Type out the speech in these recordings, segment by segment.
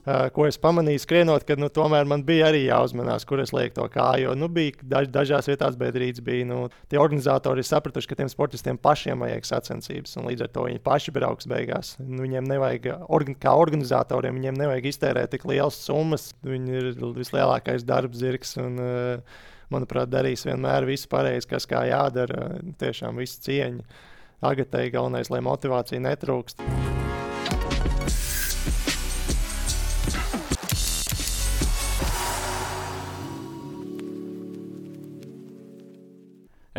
ko es pamanīju skrienot, ka tomēr man bija arī jāuzmanās, kur es lieku to kāju. Jo bija dažās vietās bēdrītes, bija tie organizatori sapratuši, ka tiem sportistiem pašiem vajag sacensības, un līdz ar to viņi paši brauks beigās. Viņiem nevajag, kā organizatoriem, viņiem nevajag iztērēt tik lielas summas. Viņi ir vislielākais darbzirgs, un, manuprāt, darīs vienmēr visu pareizi, kas kā jādara. Tiešām visu cieņu. Agatei galvenais, lai motivācija netrūkst.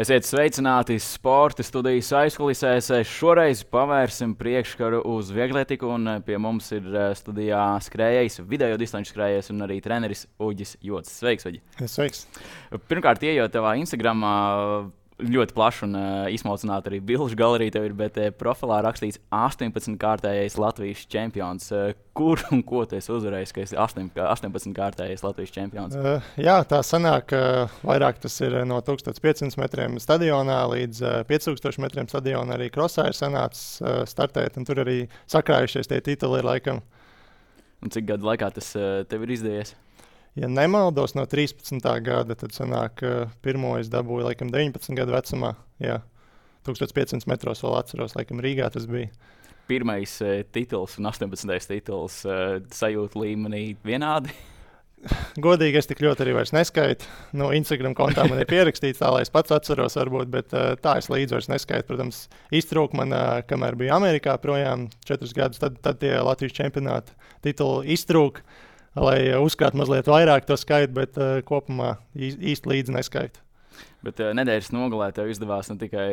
Esiet sveicināti sporta studijas aizkulisēs. Šoreiz pavērsim priekškaru uz viegletiku, un pie mums ir studijā skrējējs, video distanču skrējējs un arī treneris Uģis Jocis. Sveiks, Uģi! Sveiks! Pirmkārt, ejot tavā Instagramā, ļoti plaša un izsmalcināta arī bilžu galerija tev ir, bet profilā rakstīts 18-kārtējais Latvijas čempions. Kur un ko tu esi uzvarējis, ka esi 18-kārtējais Latvijas čempions? Jā, tā sanāk, vairāk tas ir no 1500 metriem stadionā līdz 5000 metriem stadionā. Arī krosā ir sanācis startēt, un tur arī sakrājušies tie tituli ir laikam. Un cik gadu laikā tas tev ir izdevies? Ja nemaldos no 13. gada, tad sanāk, pirmo es dabūju laikam 19 gadu vecumā. Jā, 1500 metros vēl atceros, laikam Rīgā tas bija. Pirmais tituls un 18. tituls sajūta līmenī vienādi? Godīgi es tik ļoti arī vairs neskaitu. No Instagram kontā man ir pierakstīts tā, lai es pats atceros varbūt, bet tā es līdz vairs neskaitu. Protams, iztrūk man, kamēr biju Amerikā projām 4 gadus, tad tie Latvijas čempionāta tituli iztrūk. Lai uzkrāt mazliet vairāk to skaitu, bet kopumā īsti līdzi neskaitu. Bet nedēļas nogalē tev izdevās ne tikai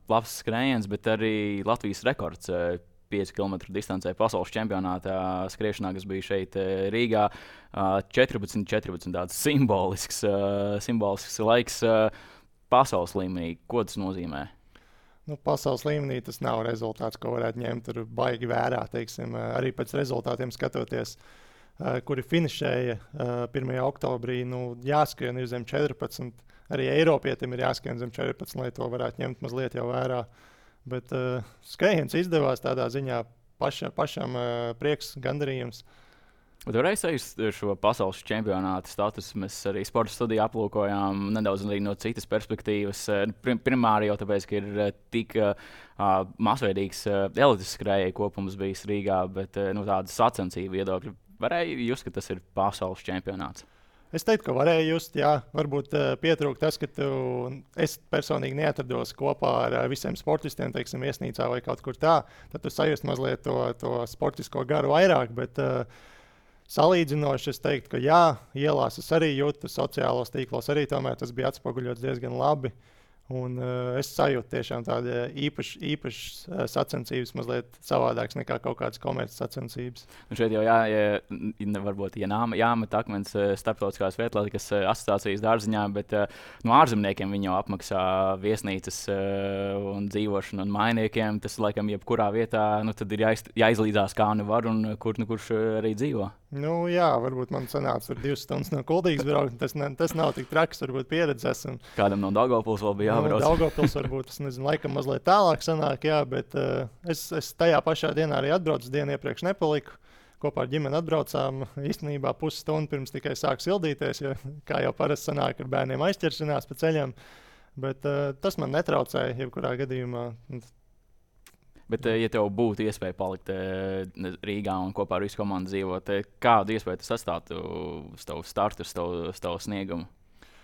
labs skrējiens, bet arī Latvijas rekords 5 km distancē pasaules čempionātā skriešanā, kas bija šeit Rīgā. 14 tāds simbolisks laiks pasaules līmenī. Ko tas nozīmē? Pasaules līmenī tas nav rezultāts, ko varētu ņemt tur baigi vērā, teiksim, arī pēc rezultātiem skatoties. Kuri finišēja 1. oktobrī, jāskrien ir zem 14. Arī Eiropietim ir jāskrien zem 14, lai to varētu ņemt mazliet jau vērā. Bet skrējiens izdevās tādā ziņā pašam prieks, gandarījums. Bet varēja sajust šo pasaules čempionāta statusu. Mēs arī sporta studiju aplūkojām nedaudz no citas perspektīvas. Primāri jau tāpēc, ka ir tik masveidīgs elites skrējēju kopums bijis Rīgā, bet tāda sacensību viedokļa. Varēja just, ka tas ir pasaules čempionāts? Es teiktu, ka varēja just, jā. Varbūt pietrūk tas, ka es personīgi neatrados kopā ar visiem sportistiem, teiksim, viesnīcā vai kaut kur tā. Tad tu sajust mazliet to sportisko garu vairāk, bet salīdzinoši es teiktu, ka jā, ielās es arī jūtu, sociālos tīklos arī tomēr tas bija atspoguļots diezgan labi. Un es sajūtu tiešām tādu īpašas sacensības, mazliet savādākas nekā kaut kādas komerces sacensības. Un šeit jau varbūt jāmet akmens starptautiskās vietlatikas asociācijas dārziņā, bet no ārzemniekiem viņi jau apmaksā viesnīcas un dzīvošanu un mainiekiem. Tas, laikam, jebkurā vietā, tad ir jāizlīdzās kā nu var un kurš arī dzīvo. Jā, varbūt man sanāca 2 stundas no Kuldīgas braukt. Tas nav tik traks, varbūt pieredzes. Kādam no Daugavpils vēl bija jābrauc? Daugavpils varbūt, es nezinu, laikam mazliet tālāk sanāk, jā, bet es tajā pašā dienā arī atbraucu, dienu iepriekš nepaliku. Kopā ar ģimeni atbraucām īstenībā pusstundu pirms tikai sāk sildīties, jo kā jau parasti sanāk, ar bērniem aizķeršanās pa ceļam. Bet tas man netraucēja jebkurā gadījumā. Bet, ja tev būtu iespēja palikt Rīgā un kopā ar visu komandu dzīvot, kādu iespēju tas atstātu uz tavu startu, uz tavu sniegumu?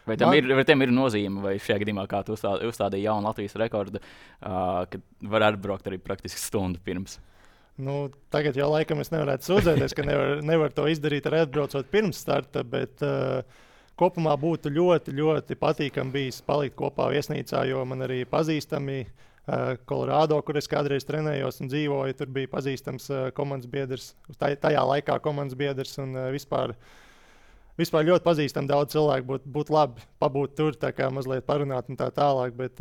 Vai tam ir nozīme, vai šajā gadījumā, kā tu uzstādīji jaunu Latvijas rekordu, kad var atbraukt arī praktiski stundu pirms? Tagad jau laikam es nevarētu sūdzēties, ka nevar to izdarīt arī atbraucot pirms starta, bet kopumā būtu ļoti, ļoti patīkami bijis palikt kopā viesnīcā, jo man arī pazīstami Kolorādo, kur es kādreiz trenējos un dzīvoju, tur bija pazīstams komandas biedrs, tajā laikā komandas biedrs un vispār ļoti pazīstam daudz cilvēku, būtu labi pabūt tur, tā kā mazliet parunāt un tā tālāk, bet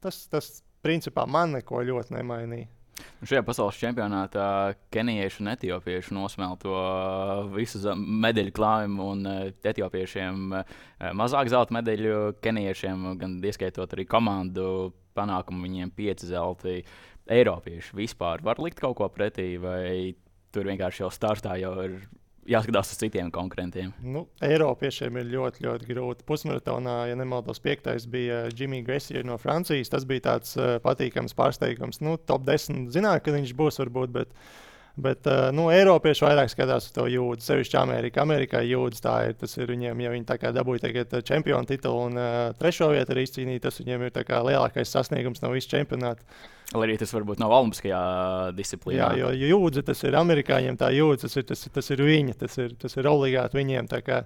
tas principā man neko ļoti nemainīja. Šajā pasaules čempionātā kenijieši un etiopieši nosmēl to visu medaļu klājumu, un etiopiešiem mazāk zelta medaļu, kenijiešiem gan ieskaitot arī komandu panākumu, viņiem 5 zelti. Eiropieši vispār var likt kaut ko pretī, vai tur vienkārši jau startā jau ir jāskatās uz citiem konkurentiem. Nu, Eiropiešiem ir ļoti, ļoti grūti. Pusmaratonā, ja nemaldos, 5. bija Jimmy Gressier no Francijas. Tas bija tāds patīkams pārsteigums. Nu, top 10 zināja, ka viņš būs varbūt, bet Eiropieši vairāk skatās uz to jūdzi. Sevišķi Amerikā jūdzi tas ir viņiem, ja viņi tā kā dabūja tagad čempionu titulu un 3. vietu arī izcīnīja, tas viņiem ir tā kā lielākais sasniegums no visu čempionātu. Lai arī tas varbūt nav olimpiskajā disciplīnā. Jā, jo jūdzi tas ir amerikāņiem, tā jūdzi tas ir viņa, tas ir obligāti viņiem. Tā kā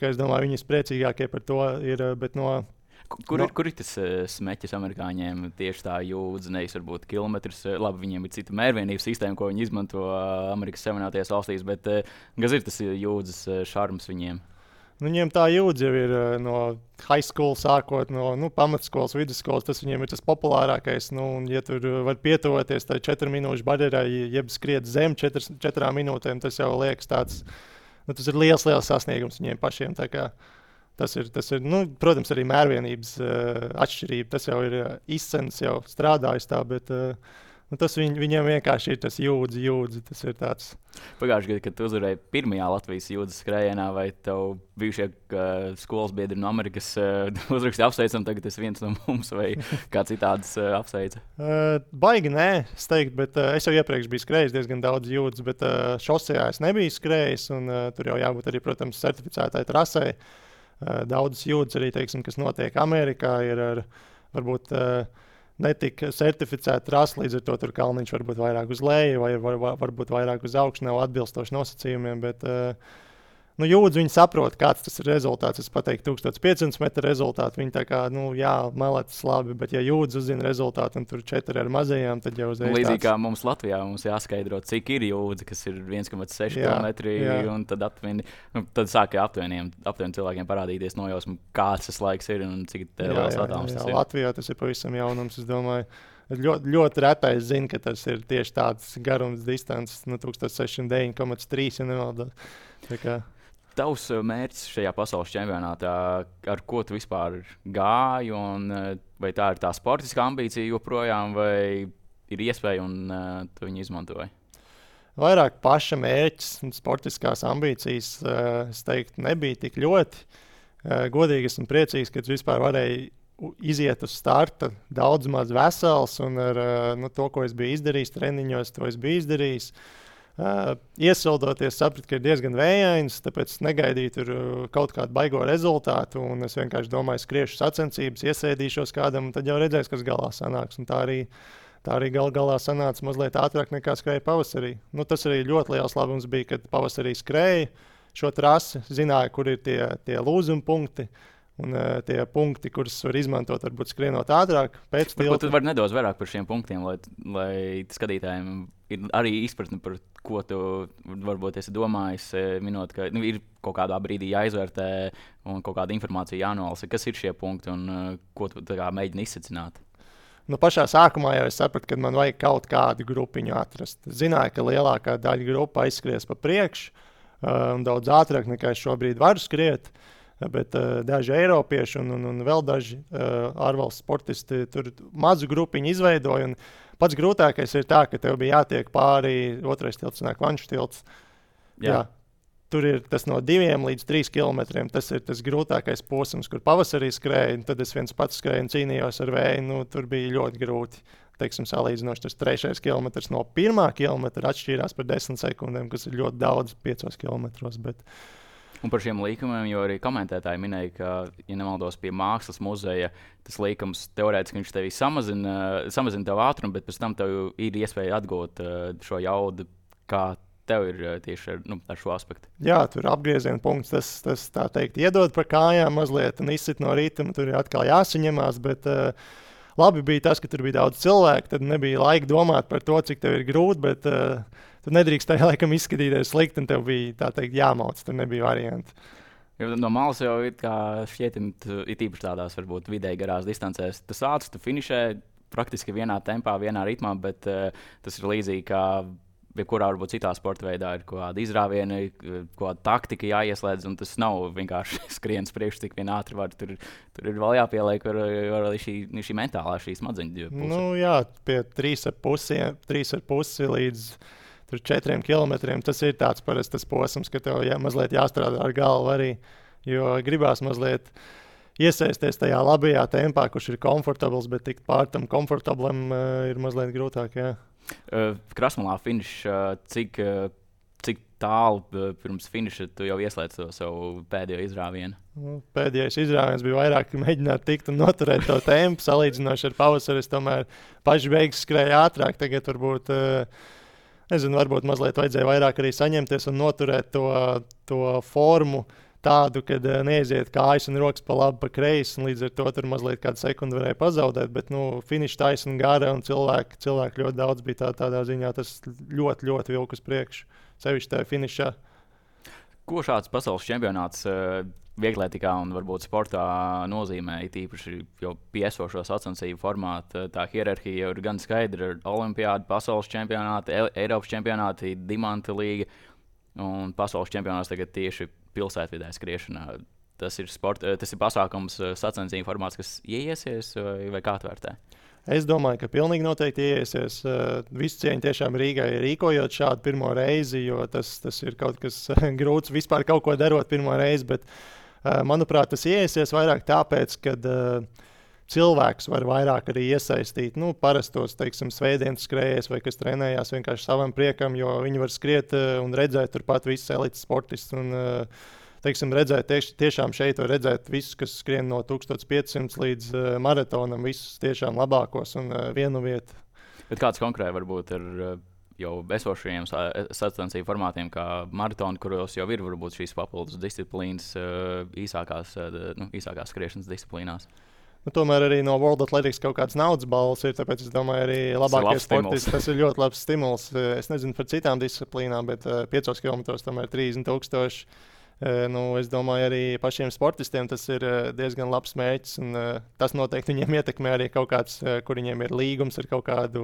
es domāju, viņi priecīgākie par to ir, bet Kur ir tas smeķis amerikāņiem tieši tā jūdzi, nevis varbūt kilometrs? Labi, viņiem ir cita mērvienības sistēma, ko viņi izmanto Amerikas Savienotajās valstīs, bet kas ir tas jūdzes šarms viņiem? Viņiem tā jūdzi jau ir no high school sākot, no pamatskolas, vidusskolas. Tas viņiem ir tas populārākais. Un, ja tur var pietuvoties tai 4 minūšu barjerai, jeb skriet zem 4 minūtēm, tas jau liekas tāds, tas ir liels sasniegums viņiem pašiem. Tas ir protams, arī mērvienības atšķirība. Tas jau ir izcens, jau strādājis tā, bet tas viņiem vienkārši ir tas jūdzi. Tas ir tāds. Pagājušajā gadā, kad tu uzvarēji pirmajā Latvijas jūdzes skrējienā, vai tev bijušie skolas biedri no Amerikas uzrakstīja apsveicam, tagad es viens no mums, vai kā citādas apsveica? Baigi nē, es teiktu, bet es jau iepriekš biju skrējis diezgan daudz jūdzes, bet šosejā es nebiju skrējis, un tur jau jābūt arī, protams, certificētai trasei. Daudzas jūdzes arī, teiksim, kas notiek Amerikā, ir ar varbūt netika certificēta trasa, līdz ar to tur kalniņš varbūt vairāk uz leju vai varbūt vairāk uz augšu, nav atbilstoši nosacījumiem, bet jūdzi viņi saprot, kāds tas ir rezultāts. Es pateiktu 1500 metru rezultātu, viņi tā kā, melētas labi, bet ja jūdzi uzzina rezultātu un tur 4 ar mazajām, tad jau uzreiz līdzīgi kā mums Latvijā, mums jāskaidro, cik ir jūdzi, kas ir 1,6 km, un tad tad sāka aptuveni cilvēkiem parādīties nojausmu, kāds tas laiks ir un cik liels attālums tas ir. Latvijā tas ir pavisam jaunums, es domāju. Ļoti, ļoti retais zina, ka tas ir tieši tāds garums distances, 1609,3, ja nemaldos. Tavs mērķis šajā pasaules čempionātā, ar ko tu vispār gāji, un vai tā ir tā sportiskā ambīcija joprojām, vai ir iespēja un tu viņu izmantoji? Vairāk paša mērķis un sportiskās ambīcijas, es teiktu, nebija tik ļoti. Godīgi esmu priecīgs, ka es vispār varēju iziet uz starta daudz maz vesels, un ar to, ko es biju izdarījis treniņos, to es biju izdarījis. Iesildoties, sapratu, ka ir diezgan vējains, tāpēc negaidīju tur kaut kādu baigo rezultātu. Es vienkārši domāju, skriešu sacensības, iesēdīšos kādam, un tad jau redzēs, kas galā sanāks. Un tā arī galā sanāca mazliet ātrāk nekā skrēja pavasarī. Tas arī ļoti liels labums bija, kad pavasarī skrēja šo trasi, zināja, kur ir tie lūzuma punkti. Un tie punkti, kurus var izmantot, varbūt skrienot ātrāk. Varbūt tu vari nedaudz vairāk par šiem punktiem, lai skatītājiem ir arī izpratne par ko tu varbūt esi domājis, minot, ka ir kaut kādā brīdī jāizvērtē un kaut kāda informācija jānolasa. Kas ir šie punkti un ko tu mēģini izsacināt? Pašā sākumā jau es sapratu, ka man vajag kaut kādu grupiņu atrast. Zināju, ka lielākā daļa grupa aizskries pa priekšu un daudz ātrāk nekā es šobrīd varu skriet. Bet daži eiropieši un vēl daži ārvalstu sportisti tur mazu grupiņu izveidoja. Pats grūtākais ir tā, ka tev bija jātiek pāri otrais tilts, nāk Vanšu tilts. Jā. Tur ir tas no 2 līdz 3 kilometriem. Tas ir tas grūtākais posms, kur pavasarī skrēja. Tad es viens pats skrēju un cīnījos ar vēju. Tur bija ļoti grūti. Teiksim, salīdzinoši tas 3. kilometrs no 1. kilometra atšķīrās par 10 sekundēm, kas ir ļoti daudz 5 kilometros. Un par šiem līkumiem, jo arī komentētāji minēja, ka, ja nemaldos, pie Mākslas muzeja tas līkums teorētiski viņš tevi samazina tev ātrumu, bet pēc tam tev ir iespēja atgūt šo jaudu, kā tev ir tieši ar šo aspektu. Jā, tur apgrieziena punkts, tas tā teikt, iedod par kājām mazliet un izsit no rituma, tur ir atkal jāsaņemās, bet labi bija tas, ka tur bija daudz cilvēku, tad nebija laika domāt par to, cik tev ir grūti, bet tu nedrīkstēji laikam izskatīties slikti, un tev bija tā teikt jāmauc, tur nebija varianti. Jo no malas jau ir īpaši tādās varbūt vidēji garās distancēs. Tas ātrs, tu finišē praktiski vienā tempā, vienā ritmā, bet tas ir līdzīgi kā jebkurā varbūt citā sporta veidā ir kaut kāda izrāviena, kaut kāda taktika jāieslēdz, un tas nav vienkārši skriens priekš, cik vien ātri var. Tur ir vēl jāpieliek arī šī mentālā, šī smadzeņu puse. Jā, pie 3,5 līdz tur 4 kilometriem. Tas ir tāds parasts posms, ka tev mazliet jāstrādā ar galvu arī, jo gribās mazliet iesaisties tajā labajā tempā, kurš ir komfortabls, bet tikt pār tam komfortablam ir mazliet grūtāk. Jā. Krasmalā finišs, cik tālu pirms finiša tu jau ieslēdz to savu pēdējo izrāvienu? Pēdējais izrāviens bija vairāk mēģināt tikt un noturēt to tempu, salīdzinoši ar pavasari. Es tomēr paši beigas skrēju ātrāk. Tagad varbūt, varbūt mazliet vajadzēja vairāk arī saņemties un noturēt to formu tādu, kad neaiziet kājas un rokas pa labi, pa kreisi. Līdz ar to tur mazliet kādu sekundi varēja pazaudēt. Bet finiša taisna gara un cilvēku ļoti daudz bija tādā ziņā. Tas ļoti, ļoti vilk uz priekšu, sevišķi tajā finišā. Ko šāds pasaules čempionāts vieglietikā un varbūt sportā nozīmē, tīpaši jau piesošo sacensību formātu? Tā hierarhija jau ir gan skaidra ar olimpiādu, pasaules čempionāti, Eiropas čempionāti, Dimanta līga un pasaules čempionāts tagad tieši pilsētvidē skriešanā. Tas ir pasākums, sacensību formāts, kas ieiesies vai kā tvērtē? Es domāju, ka pilnīgi noteikti ieiesies. Visu cieņu tiešām Rīgai rīkojot šādu pirmo reizi, jo tas ir kaut kas grūts vispār kaut ko darot pirmo reizi, bet manuprāt, tas ieiesies vairāk tāpēc, ka cilvēks var vairāk arī iesaistīt parastos, teiksim, svētdienas skrējējus vai kas trenējās vienkārši savam priekam, jo viņi var skriet un redzēt turpat visus elites sportistus. Teiksim, redzēt, tiešām šeit var redzēt visus, kas skrien no 1500 līdz maratonam, visus tiešām labākos un vienu vietu. Bet kāds konkrēti varbūt ir jau esošajiem sacensību formātiem, kā maratoni, kuros jau ir varbūt šīs papildus disciplīnas īsākās skriešanas disciplīnās? Tomēr arī no World Athletics kaut kāds naudas balvas ir, tāpēc es domāju, arī labākie sportisti. Tas ir ļoti labs stimuls. Es nezinu par citām disciplīnām, bet 5 kilometros tomēr 30,000. Es domāju, arī pašiem sportistiem tas ir diezgan labs mērķis. Tas noteikti viņiem ietekmē arī kaut kāds, kur viņiem ir līgums ar kaut kādu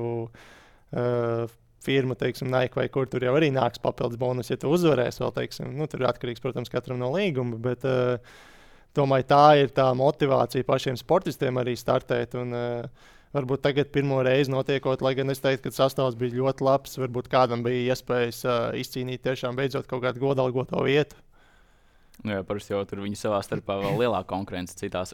firmu, teiksim, Nike vai kur tur jau arī nāks papildus bonus, ja tu uzvarēsi vēl, teiksim. Tur ir atkarīgs, protams, katram no līguma, bet domāju, tā ir tā motivācija pašiem sportistiem arī startēt. Varbūt tagad pirmo reizi notiekot, lai gan es teiktu, ka sastāvs bija ļoti labs, varbūt kādam bija iespējas izcīnīt tiešām beidzot kaut kādu godalgoto vietu. Jā, parasti jau tur viņi savā starpā vēl lielāka konkurence citās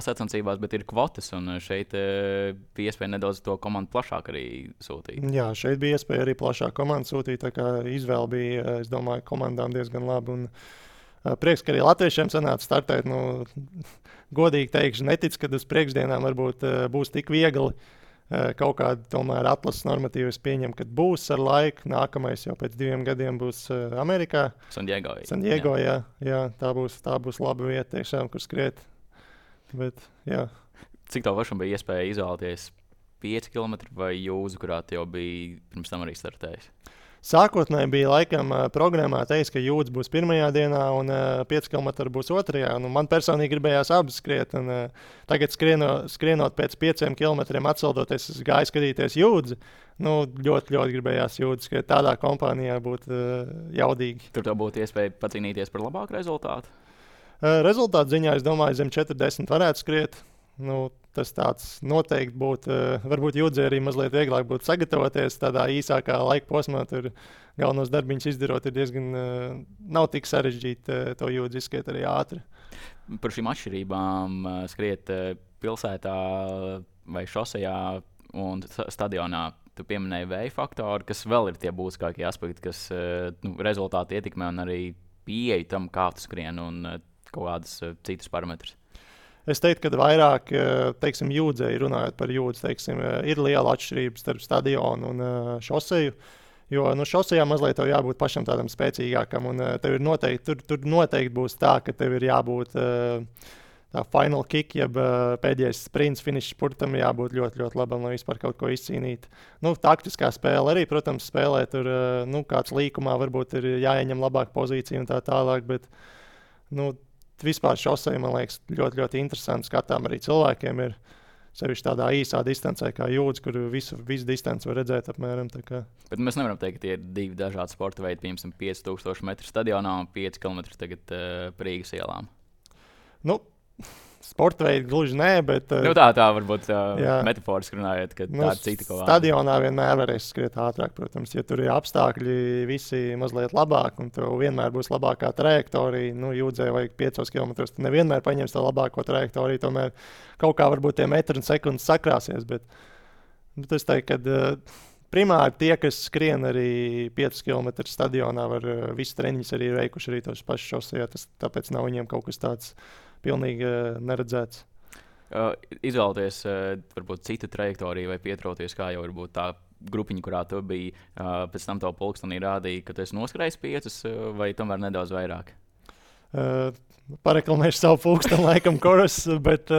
sacensībās, bet ir kvotas, un šeit bija iespēja nedaudz to komandu plašāk arī sūtīt. Jā, šeit bija iespēja arī plašāk komandu sūtīt, tā kā izvēle bija, es domāju, komandām diezgan laba. Prieks, ka arī latviešiem sanāca startēt. Godīgi teikšu, neticu, ka uz priekšdienām varbūt būs tik viegli. Kaut kāda tomēr atlases normatīva es pieņemu, ka būs ar laiku. Nākamais jau pēc 2 gadiem būs Amerikā. San Diego, jā, tā būs laba vieta, tiešām, kur skriet. Bet, jā. Cik tev pašam bija iespēja izvēlēties 5 km vai jūzu, kurā tu jau biji pirms tam arī startējis? Sākotnēji bija laikam programmā teiks, ka jūdz būs pirmajā dienā un 5 km būs otrajā. Man personīgi gribējās abas skriet. Tagad skrienot pēc 5 km atceldoties, es gāju skatīties jūdzi. Ļoti, ļoti gribējās jūdzi, ka tādā kompānijā būtu jaudīgi. Tur tev būtu iespēja pacīnīties par labāku rezultātu? Rezultātu ziņā, es domāju, zem 40 varētu skriet. Tas tāds noteikti būtu, varbūt jūdzē arī mazliet vieglāk būtu sagatavoties tādā īsākā laika posmā. Tur galvenos darbiņus izdarot ir diezgan, nav tik sarežģīti to jūdzi izskriet arī ātri. Par šīm atšķirībām skriet pilsētā vai šosejā un stadionā. Tu pieminēji vēja faktoru, kas vēl ir tie būtiskākie aspekti, kas rezultāti ietekmē un arī pieeja tam, kā tu skrien un kaut kādas citas parametrus. Es teiktu, ka vairāk, teiksim, jūdzēji runājot par jūdzi, teiksim, ir liela atšķirība starp stadionu un šoseju. Jo šosejā mazliet tev jābūt pašam tādam spēcīgākam, un tev ir noteikti, tur noteikti būs tā, ka tev ir jābūt tā final kick, jeb pēdējais sprints, finišs spurtam jābūt ļoti, ļoti labam, lai vispār kaut ko izcīnīt. Taktiskā spēle arī, protams, spēlē tur, kāds līkumā varbūt ir jāieņem labāka pozīcija un tā tālāk, bet, vispār šosei, man liekas, ļoti, ļoti interesanti skatām arī cilvēkiem ir sevišķi tādā īsā distancē kā jūdzi, kur visu distanci var redzēt apmēram. Bet mēs nevaram teikt, ka tie ir 2 dažādi sporta veidi, piemēram, 5000 metru stadionā un 5 km tagad Rīgas ielām. sporta veidi gluži nē, bet tā varbūt metaforiski runājot, ka tā ir cita kaut kāda. Stadionā vienmēr varēs skriet ātrāk, protams, ja tur ir apstākļi visi mazliet labāk, un tev vienmēr būs labākā trajektorija. Jūdzē vajag 5 km, tad nevienmēr paņems to labāko trajektoriju, tomēr kaut kā varbūt tie metri un sekundes sakrāsies, bet es teiktu, ka primāri tie, kas skrien arī 5 km stadionā, var visu treniņus arī veikuši arī tos pašus šosejā, tāpēc nav viņiem kaut kas tāds pilnīgi neredzēts. Izvēlēties varbūt citu trajektoriju vai pietrauties, kā jau varbūt tā grupiņa, kurā tu biji, pēc tam tavu pulkstenī rādīja, ka tu esi noskrējis 5 vai tomēr nedaudz vairāk? Pareklamēšu savu pulksteni laikam koras, bet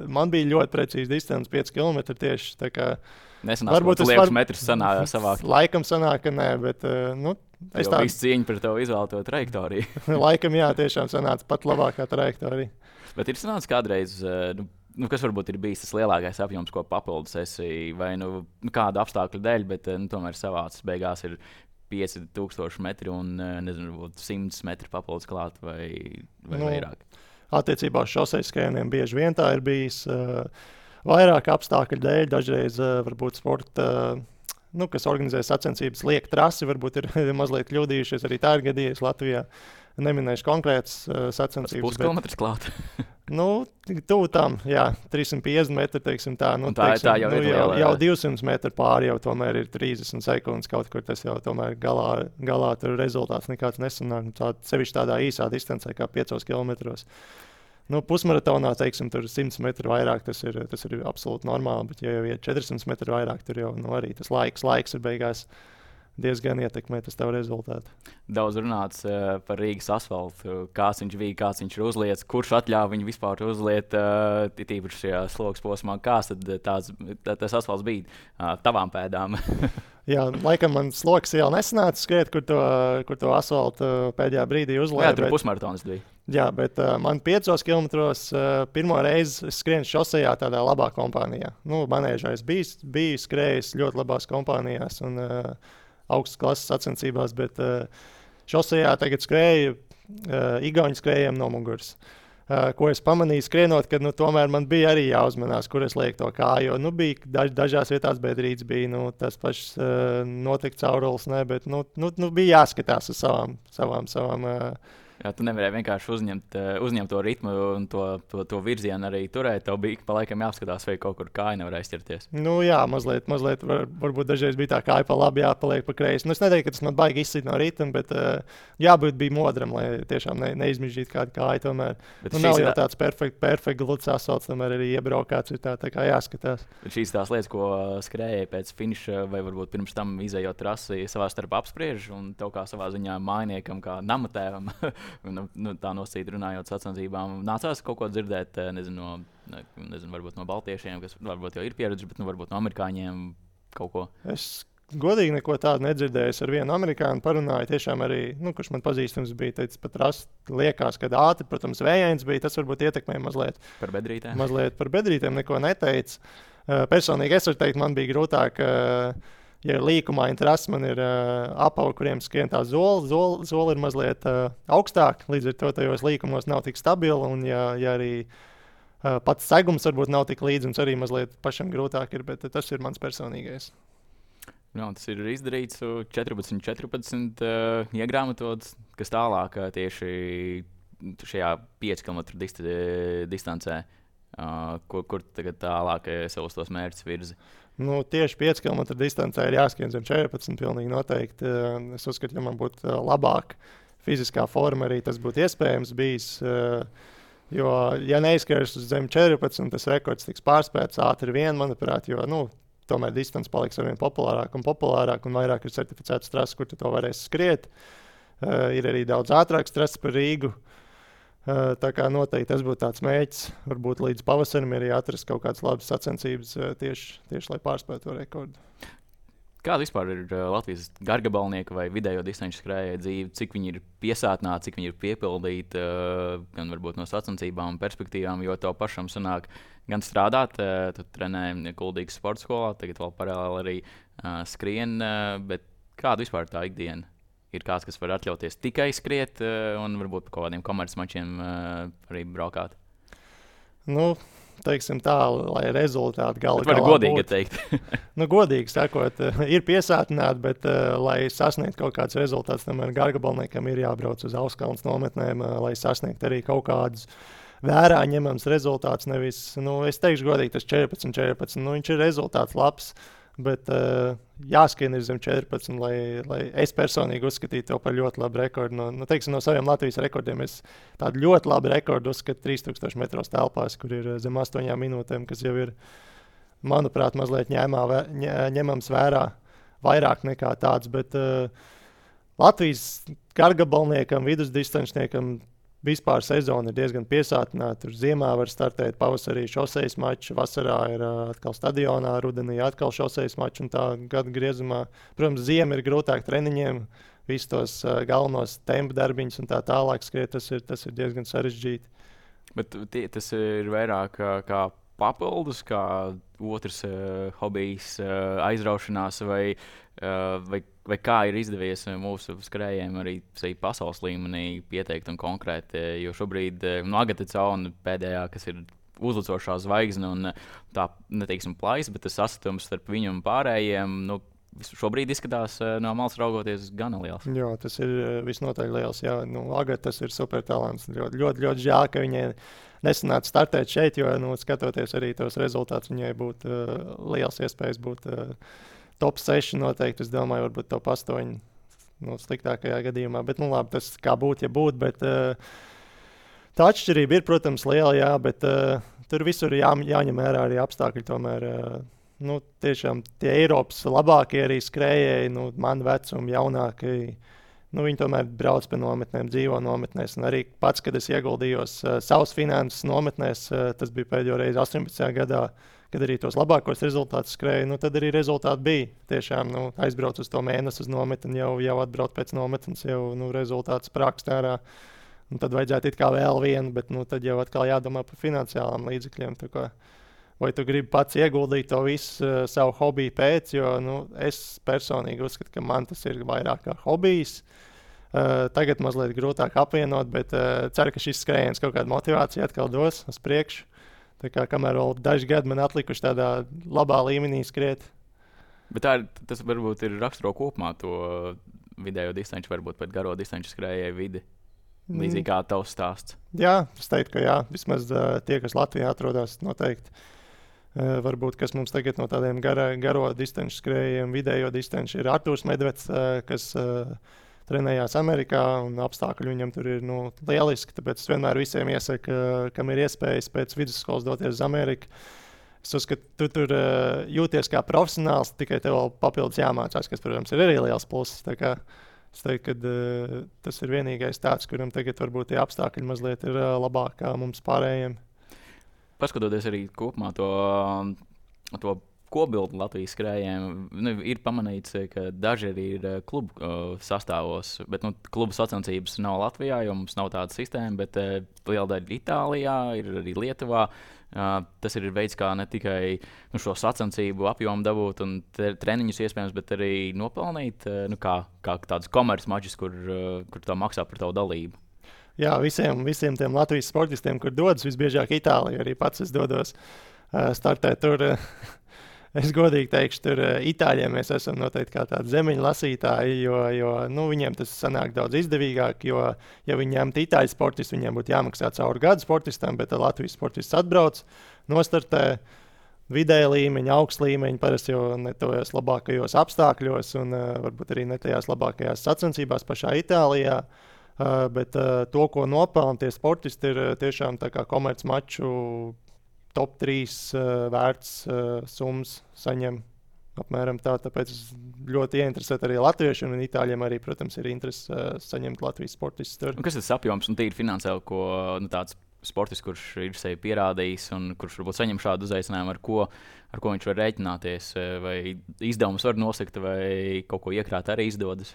man bija ļoti precīzi distance 5 km tieši. Tā kā nesanās, varbūt tu liekas metrus savākt. Laikam sanāk, ka nē, bet es tādu visu cieņu par tev izvēlēto trajektoriju. Laikam jā, tiešām sanāca pat labākā trajektorija. Bet ir sanācis kādreiz, kas varbūt ir bijis tas lielākais apjoms, ko papildus esi, vai kādu apstākļu dēļ, bet tomēr savācis beigās ir 5000 metri un, nezinu, 100 metri papildus klāt vai vairāk. Attiecībā uz šosejas skrējieniem bieži vien tā ir bijis vairāk apstākļu dēļ, dažreiz varbūt sporta, kas organizē sacensības, liek trasi, varbūt ir mazliet kļūdījušies, arī tā ir gadījies Latvijā. Neminēšu konkrētas sacensības. Puskilometrs klāt. Tuvu tam, jā, 350 metri, teiksim tā. Tā jau ir liela. Jau 200 metri pāri jau tomēr ir 30 sekundes kaut kur, tas jau tomēr galā tur rezultāts nekāds nesanāk. Sevišķi tādā īsā distancē kā 5 kilometros. Pusmaratonā, teiksim, tur 100 metru vairāk, tas ir absolūti normāli, bet ja jau ir 400 metru vairāk, tur jau arī tas laiks ir beigās diezgan ietekmē tas tavu rezultātu. Daudz runāts par Rīgas asfaltu, kāds viņš bija, kāds viņš ir uzlietis, kurš atļāva viņu vispār uzliet, tīpaši šajā slogas posmā, kāds tad tas asfalts bija tavām pēdām? Jā, laikam man sloks jau nesanāca skriet, kur to asfaltu pēdējā brīdī uzlēja. Jā, tur pusmaratons bija. Jā, bet man 5 kilometros pirmo reizi skrienu šosejā tādā labā kompānijā. Manēžā es biju skrējis ļoti labās kompānijās un augstas klases sacensībās, bet šosejā tagad skrēju igauņu skrējiem no muguras. Ko es pamanīju skrienot, ka tomēr man bija arī jāuzmanās, kur es lieku to kāju. Bija dažās vietās bedrītes, bija tas pašs notikt caurulis, bet bija jāskatās uz savām Jā, tu nevarēji vienkārši uzņemt to ritmu un to virzienu arī turēt. Tev bija pa laikam jāapskatās, vai kaut kur kāja nevar aizķerties. Jā, mazliet varbūt dažreiz bija tā kāja pa labi, jāpaliek pa kreisi. Es neteiktu, ka tas man baigi izsit no ritma, bet jābūt bija modram, lai tiešām neizmižģītu kādu kāju tomēr. Nav jau tāds perfekts gluds asfalts, tomēr arī iebraukāts ir tā kā jāskatās. Šīs tās lietas, ko skrējēji pēc finiša vai varbūt pirms tam izējot trasi savā starpā apspriež un tev kā savā ziņā mājniekam, kā namatēvam, tā nosīt runājot sacensībām, nācās kaut ko dzirdēt, nezinu, varbūt no baltiešiem, kas varbūt jau ir pieredzi, bet varbūt no amerikāņiem kaut ko. Es godīgi neko tādu nedzirdēju. Es ar vienu amerikāņu parunāju, tiešām arī, kurš man pazīstams bija, teicis, pat liekas, ka ātri, protams, vējains bija, tas varbūt ietekmēja mazliet. Par bedrītēm? Mazliet par bedrītēm neko neteica. Personīgi es varu teikt, man bija grūtāk, ja ir līkumaini trasi, man ir apavi, kuriem skrien tā zola ir mazliet augstāk, līdz ar to tajos līkumos nav tik stabila, un ja arī pats segums varbūt nav tik līdz, un arī mazliet pašam grūtāk ir, bet tas ir mans personīgais. Tas ir izdarīts 14, iegrāmatots, kas tālāk tieši šajā 5 km distancē, kur tagad tālāk savus tos mērķus virzi. Tieši 5 km distancē ir jāskrien zem 14, pilnīgi noteikti. Es uzskatu, ja man būtu labāka fiziskā forma, arī tas būtu iespējams bijis. Jo, ja neizskries uz zem 14, tas rekords tiks pārspēts ātri vien, manuprāt, jo tomēr distance paliks arvien populārāk un vairāk ir certificētas trases, kur tu to varēsi skriet. Ir arī daudz ātrāks trases par Rīgu. Tā kā noteikti tas būtu tāds mēģis, varbūt līdz pavasarim arī atrast kaut kādas labas sacensības tieši lai pārspētu to rekordu. Kāda vispār ir Latvijas gargabalnieka vai vidējo distanču skrējēju dzīve? Cik viņi ir piesātināti, cik viņi ir piepildīti, gan varbūt no sacensībām un perspektīvām, jo tev pašam sanāk gan strādāt, tu trenē Kuldīgas sporta skolā, tagad vēl paralēli arī skrien, bet kāda vispār tā ikdiena? Ir kāds, kas var atļauties tikai skriet un varbūt par kaut kādiem komercmačiem arī braukāt? Nu, teiksim tā, lai rezultāti galā var godīgi teikt. Godīgi sakot, ir piesātināti, bet, lai sasniegtu kaut kādus rezultātus, tomēr gargabalniekam ir jābrauc uz Auskalnas nometnēm, lai sasniegtu arī kaut kādus vērā ņemams rezultāts. Nevis, es teikšu godīgi, tas 14, viņš ir rezultāts labs. Bet jāskrien ir zem 14, lai es personīgi uzskatītu to par ļoti labu rekordu. No saviem Latvijas rekordiem es tādu ļoti labu rekordu uzskatu 3000 metros telpās, kur ir zem 8 minūtēm, kas jau ir, manuprāt, mazliet ņemams vērā vairāk nekā tāds. Bet Latvijas gargabalniekam, vidusdistancniekam vispār sezona ir diezgan piesātināta. Tur ziemā var startēt, pavasarī šosejas mačs, vasarā ir atkal stadionā, rudenī atkal šosejas mačs un tā gada griezumā. Protams, ziema ir grūtāk treniņiem, visus tos galvenos tempu darbiņus un tā tālāk skriet, tas ir diezgan sarežģīti. Bet tas ir vairāk kā papildus, kā otrs hobijs, aizraušanās vai kā ir izdevies mūsu skrējējiem arī pasaules līmenī pieteikt un konkrēti, jo šobrīd Agata Cauna pēdējā, kas ir uzlicošā zvaigzne un tā, neteiksim plaisa, bet tas sasatums starp viņu un pārējiem, šobrīd izskatās no malas raugoties gana liels. Jā, tas ir visnotaļ liels. Jā. Agata, tas ir super talants. Ļoti žēl, ka viņai nesanāca startēt šeit, jo, skatoties arī tos rezultātus, viņai būtu liels iespējas būt top 6 noteikti. Es domāju, varbūt top 8 sliktākajā gadījumā. Bet, labi, tas kā būtu, ja būtu. Bet tā atšķirība ir, protams, liela, jā, bet tur visur jāņem vērā arī apstākļi. Tomēr, tiešām tie Eiropas labākie arī skrējēji, man vecumi, jaunākie. Viņi tomēr brauc pie nometnēm, dzīvo nometnēs. Un arī pats, kad es ieguldījos savus finanses nometnēs, tas bija pēdējo reizi 18. gadā, kad arī tos labākos rezultātus skrēju, tad arī rezultāti bija. Tiešām aizbrauc uz to mēnesi uz nometni, jau atbrauc pēc nometnes, jau rezultāts sprākst ārā. Un tad vajadzētu it kā vēl vienu, bet tad jau atkal jādomā par finansiālām līdzekļiem. Vai tu gribi pats ieguldīt to visu savu hobiju pēc, jo es personīgi uzskatu, ka man tas ir vairāk kā hobijs. Tagad mazliet grūtāk apvienot, bet ceru, ka šis skrējiens kaut kādu motivāciju atkal dos uz priekšu. Tā kā kamēr vēl daži gadi man atlikuši tādā labā līmenī skriet. Bet tas varbūt ir raksturo kopumā to vidējo distanci, varbūt pat garo distanci skrējēju vidi. Līdzīgi kā tavs stāsts. Jā, es teiktu, ka jā. Vismaz tie, kas Latvijā atrodas, noteikti. Varbūt, kas mums tagad no tādiem garo distanci skrējējiem, vidējo distanci ir Artūrs Medveds, kas trenējās Amerikā, un apstākļi viņam tur ir lieliski. Tāpēc es vienmēr visiem iesaku, kam ir iespējas pēc vidusskolas doties uz Ameriku. Es uzskatu, tu tur jūties kā profesionāls, tikai tev vēl papildus jāmācās, kas, protams, ir arī liels pluss. Tā kā es teiktu, ka tas ir vienīgais tāds, kuram tagad varbūt tie apstākļi mazliet ir labāk kā mums pārējiem. Paskatoties arī kopumā to kopbildi Latvijas skrējējiem, ir pamanīts, ka daži arī ir klubu sastāvos, bet klubu sacensības nav Latvijā, jo mums nav tāda sistēma, bet liela daļa Itālijā, ir arī Lietuvā. Tas ir veids, kā ne tikai šo sacensību apjomu dabūt un treniņus iespējams, bet arī nopelnīt kā tādus komerces mačus, kur tā maksā par tavu dalību. Jā, visiem tiem Latvijas sportistiem, kur dodas visbiežāk Itālijā, arī pats es dodos startēt tur. Es godīgi teikšu, tur Itāļiem mēs esam noteikti kā tādi zemeņu lasītāji, jo viņiem tas sanāk daudz izdevīgāk, jo, ja viņi ņemtu Itāļu sportistu, viņiem būtu jāmaksā cauri gadu sportistam, bet Latvijas sportists atbrauc, nostartē vidēja līmeņa, augsts līmeņa, parasti jau ne tojos labākajos apstākļos un varbūt arī ne tajās labākajās sacensībās pašā Itālijā. Bet to, ko nopelna tie sportisti, ir tiešām tā kā komerc maču top 3 vērts summas saņem apmēram tā. Tāpēc ļoti ieinteresēti arī latvieši un itāļiem arī, protams, ir interese saņemt Latvijas sportistus tur. Kas tas apjoms un tīri finansiāli, ko tāds sportists, kurš ir sevi pierādījis un kurš varbūt saņem šādu uzaicinājumu, ar ko viņš var rēķināties, vai izdevumus var nosakt, vai kaut ko iekrāt arī izdodas?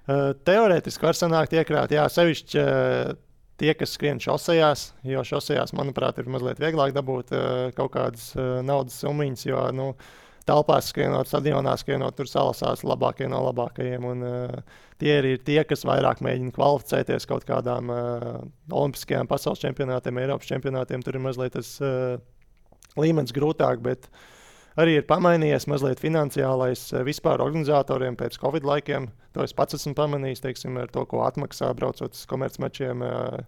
Teorētiski var sanākt iekrāt, jā, sevišķi tie, kas skrien šosejās, jo šosejās, manuprāt, ir mazliet vieglāk dabūt kaut kādas naudas summiņas, jo telpās skrienot, stadionā skrienot, tur salasās labākie no labākajiem. Un, tie ir tie, kas vairāk mēģina kvalificēties kaut kādām olimpiskajām pasaules čempionātiem, Eiropas čempionātiem. Tur ir mazliet tas līmenis grūtāk, bet arī ir pamainījies mazliet finansiālais vispār organizatoriem pēc Covid laikiem. To es pats esmu pamanījis, teiksim, ar to, ko atmaksā braucot uz komercmačiem.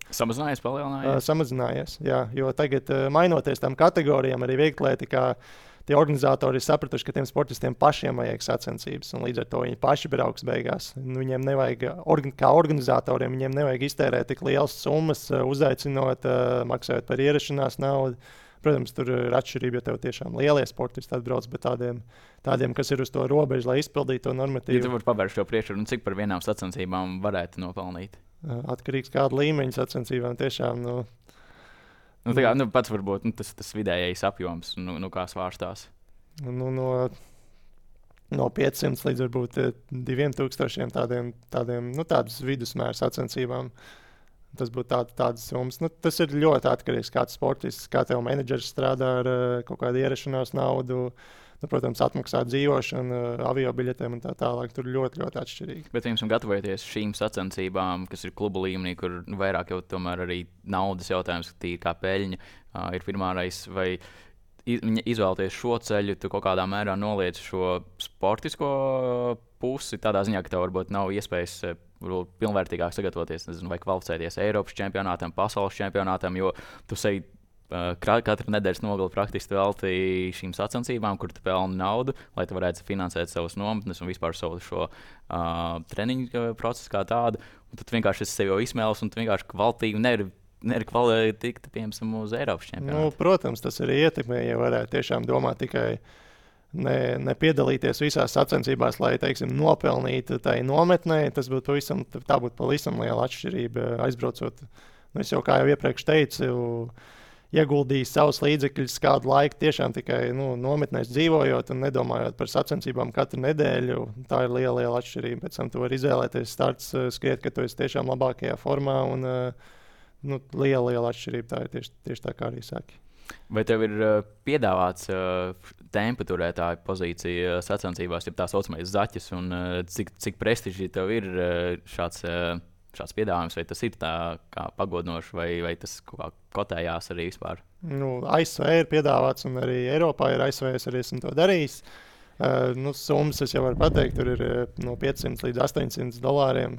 Samazinājies, palielinājies? Samazinājies, jā, jo tagad mainoties tam kategorijām, arī vieglietikā, tie organizatori ir sapratuši, ka tiem sportistiem pašiem vajag sacensības, un līdz ar to viņi paši brauks beigās. Viņiem nevajag, kā organizatoriem, viņiem nevajag iztērēt tik lielas summas, uzaicinot, maksājot par ierašanās naudu. Protams, tur ir atšķirība, ja tev tiešām lielie sportisti atbrauc, bet tādiem, kas ir uz to robežu, lai izpildītu to normatīvu. Ja tu vari pavērst šo priekšroku, cik par vienām sacensībām varētu nopelnīt? Atkarīgs kāda līmeņa sacensībām tiešām. Pats varbūt tas vidējais apjoms, kā svārstās. No 500 līdz varbūt 2000 tādas vidusmēra sacensībām. Tas būtu tādas summas. Tas ir ļoti atkarīgs no sportists, kā tev menedžers strādā ar kaut kādu ierašanās naudu. Protams, atmaksāt dzīvošanu, aviobiļetēm un tā tālāk. Tur ļoti, ļoti atšķirīgi. Bet jums gatavoties šīm sacensībām, kas ir klubu līmenī, kur vairāk jau tomēr arī naudas jautājums, kā peļņa ir primārais, vai izvēlēties šo ceļu, tu kaut kādā mērā noliec šo sportisko pusi, tādā ziņā, ka tev varbūt nav iespējas pilnvērtīgāk sagatavoties, vai kvalificēties Eiropas čempionātam, pasaules čempionātam, jo tu sevi katru nedēļas nogali praktiski veltīji šīm sacensībām, kur tu pelni naudu, lai tu varētu finansēt savus nometnes un vispār savu šo treniņu procesu kā tādu. Un tad vienkārši esi sevi jau izsmēlis un tu vienkārši kvalitīvi nevari tikt, piemēram, uz Eiropas čempionātu. Protams, tas arī ietekmē, ja varētu tiešām domāt tikai nepiedalīties visās sacensībās, lai, teiksim, nopelnītu tai nometnē. Tā būtu pavisam liela atšķirība aizbraucot. Es jau, kā jau iepriekš teicu, ieguldīju savus līdzekļus kādu laiku tiešām tikai nometnēs dzīvojot un nedomājot par sacensībām katru nedēļu. Tā ir liela atšķirība. Pēc tam tu vari izvēlēties starts, skriet, ka tu esi tiešām labākajā formā un liela atšķirība. Tā ir tieši tā, kā arī saki. Vai tev ir piedāvāts tempa turētāja pozīcija sacensībās, ja tā saucamais zaķis, un cik prestiži tev ir šāds piedāvājums, vai tas ir tā kā pagodinoši, vai tas kaut kā kotējās arī vispār? ASV ir piedāvāts, un arī Eiropā ir ASV, es arī esmu to darījis. Summas es jau varu pateikt, tur ir no $500 līdz $800.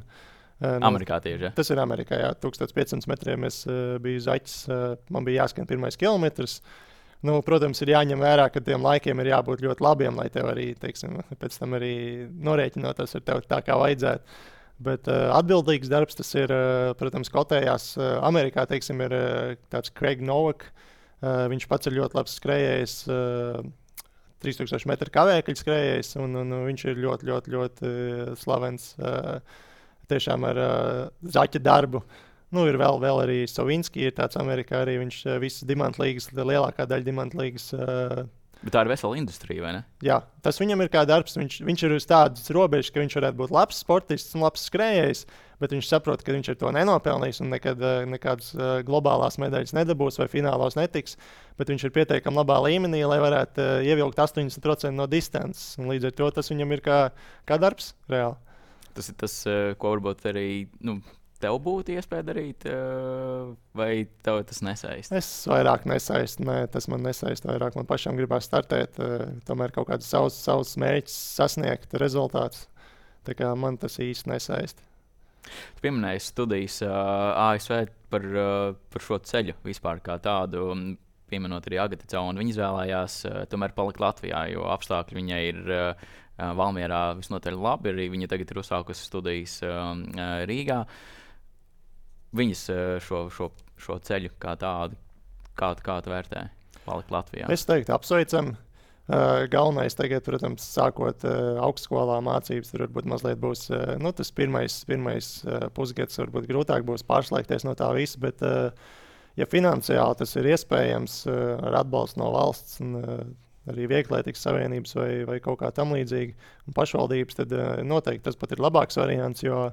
Amerikā tieši, ja? Tas ir Amerikā, jā. 1500 metriem es biju zaķis, man bija jāskrien pirmais kilometrs. Protams, ir jāņem vērā, ka tiem laikiem ir jābūt ļoti labiem, lai tev arī, teiksim, pēc tam arī norēķinoties ar tevi tā, kā vajadzētu. Bet atbildīgs darbs tas ir, protams, kotējās. Amerikā, teiksim, ir tāds Craig Nowak. Viņš pats ir ļoti labs skrējējs, 3000 metru kavēkļu skrējējs, un viņš ir ļoti slavens tiešām ar zaķa darbu. Ir vēl arī Savinski, ir tāds Amerikā arī viņš visas dimantlīgas, lielākā daļa dimantlīgas. Bet tā ir vesela industrija, vai ne? Jā, tas viņam ir kā darbs. Viņš ir uz tādas robežas, ka viņš varētu būt labs sportists un labs skrējējs, bet viņš saprot, ka viņš ar to nenopelnīs un nekādas globālās medaļas nedabūs vai finālos netiks, bet viņš ir pietiekami labā līmenī, lai varētu ievilkt 80% no distances. Un līdz ar to tas viņam ir kā darbs reāli. Tas ir tas, ko varbūt arī tev būtu iespēja darīt, vai tev tas nesaist? Es vairāk nesaistu. Nē, tas man nesaist vairāk. Man pašam gribās startēt, tomēr kaut kādus savus mērķus sasniegt, rezultātus. Tā kā man tas īsti nesaist. Tu pieminēji studijas ASV par šo ceļu vispār kā tādu, pieminot arī Agatu Caunu. Viņa izvēlējās tomēr palikt Latvijā, jo apstākļi viņai ir Valmierā visnotaļ labi. Arī viņa tagad ir uzsākusi studijas Rīgā. Viņas šo ceļu kā tādu, kā tu vērtē, palikt Latvijā? Es teiktu, apsveicam. Galvenais tagad, protams, sākot augstskolā mācības, tur varbūt mazliet būs tas pirmais pusgads, varbūt grūtāk būs pārslēgties no tā visa, bet ja finansiāli tas ir iespējams ar atbalstu no valsts un arī Vieglietīgas savienības vai kaut kā tam līdzīga un pašvaldības, tad noteikti tas pat ir labāks variants, jo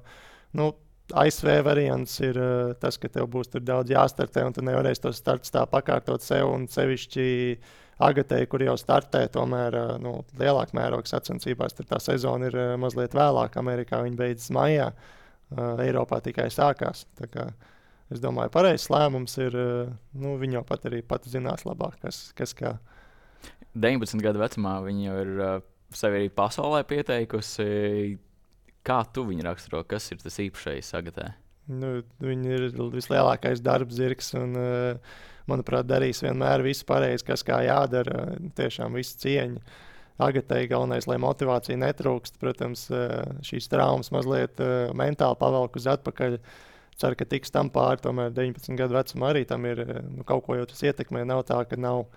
ASV variants ir tas, ka tev būs tur daudz jāstartē un tu nevarēsi to starts tā pakārtot sev un sevišķi Agatei, kur jau startē, tomēr lielākā mēroga sacensībās, tad tā sezona ir mazliet vēlāk. Amerikā viņa beidzas maijā, Eiropā tikai sākās. Tā kā es domāju, pareizs lēmums ir, viņa jau pat arī zinās labāk, kas kā. 19 gadu vecumā viņa jau ir sevi arī pasaulē pieteikusi. Kā tu viņu raksturo? Kas ir tas īpašais Agatē? Viņa ir vislielākais darbzirgs un, manuprāt, darīs vienmēr visu pareizi, kas kā jādara. Tiešām visu cieņu. Agatei galvenais, lai motivācija netrūkst. Protams, šīs traumas mazliet mentāli pavelk uz atpakaļ. Ceru, ka tiks tam pāri. Tomēr 19 gadu vecumā arī tam ir kaut ko jau tas ietekmē. Nav tā, ka nav.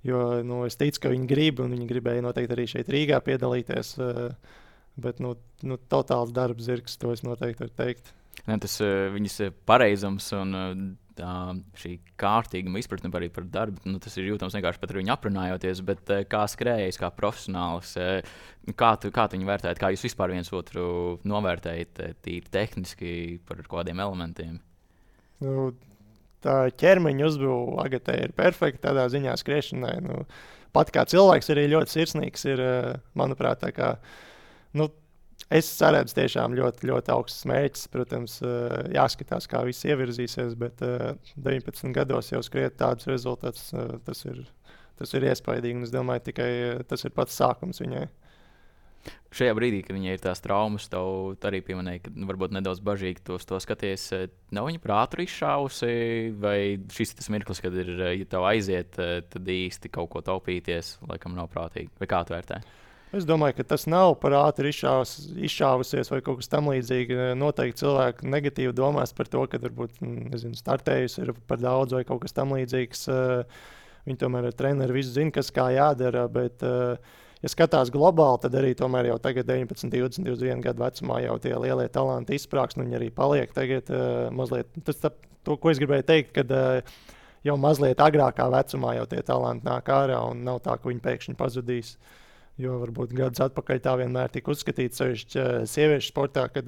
Jo es ticu, ka viņi grib, un viņi gribēja noteikti arī šeit Rīgā piedalīties. Bet totāls darbzirgs, to es noteikti varu teikt. Tas viņas pareizums un šī kārtīguma izpratne arī par darbu, tas ir jūtams vienkārši pat ar viņu aprunājoties, bet kā skrējējs, kā profesionāls, kā tu viņu vērtējat, kā jūs vispār viens otru novērtējat tīri tehniski par kādiem elementiem? Tā ķermeņa uzbūve Agatei ir perfekta tādā ziņā skriešanai. Pat kā cilvēks arī ļoti sirsnīgs ir, manuprāt, tā kā, es saredzu tiešām ļoti, ļoti augstus mērķus. Protams, jāskatās, kā viss ievirzīsies, bet 19 gados jau skriet tādus rezultātus, tas ir iespaidīgi. Es domāju, tikai tas ir pats sākums viņai. Šajā brīdī, kad viņai ir tās traumas, tev arī pieminēja, ka varbūt nedaudz bažīgi to skaties. Nav viņa prātu izšāvusi, vai šis ir tas mirklis, kad ir, ja tev aiziet, tad īsti kaut ko taupīties, laikam nav prātīgi. Vai kā tu vērtē? Es domāju, ka tas nav par ātri izšāvusies vai kaut kas tamlīdzīgs. Noteikti cilvēki negatīvi domās par to, ka varbūt startējusi ir par daudz vai kaut kas tamlīdzīgs. Viņi tomēr ar treneri visu zina, kas kā jādara. Bet, ja skatās globāli, tad arī tomēr jau tagad 19, 20, 21 gadu vecumā jau tie lielie talanti izsprāgst. Viņi arī paliek tagad mazliet. To, ko es gribēju teikt, kad jau mazliet agrākā vecumā jau tie talanti nāk ārā un nav tā, ka viņi pēkšņi pazudīs. Jo varbūt gadus atpakaļ tā vienmēr tika uzskatīts, sevišķi sieviešu sportā, kad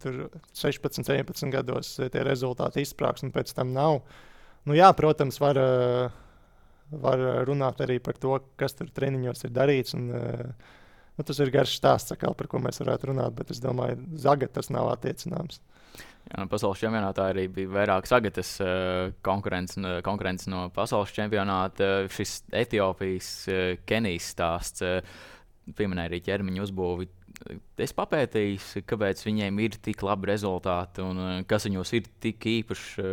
tur 16, 17 gados tie rezultāti izsprāgs un pēc tam nav. Jā, protams, var runāt arī par to, kas tur treniņos ir darīts. Un, tas ir garš stāsts, par ko mēs varētu runāt, bet es domāju, Zaga tas nav attiecināms. Jā, pasaules čempionātā arī bija vairākas Agatas konkurences no pasaules čempionāta. Šis Etiopijas, Kenijas stāsts pieminēja arī ķermeņa uzbūvi. Es papētīju, kāpēc viņiem ir tik labi rezultāti un kas viņos ir tik īpaši,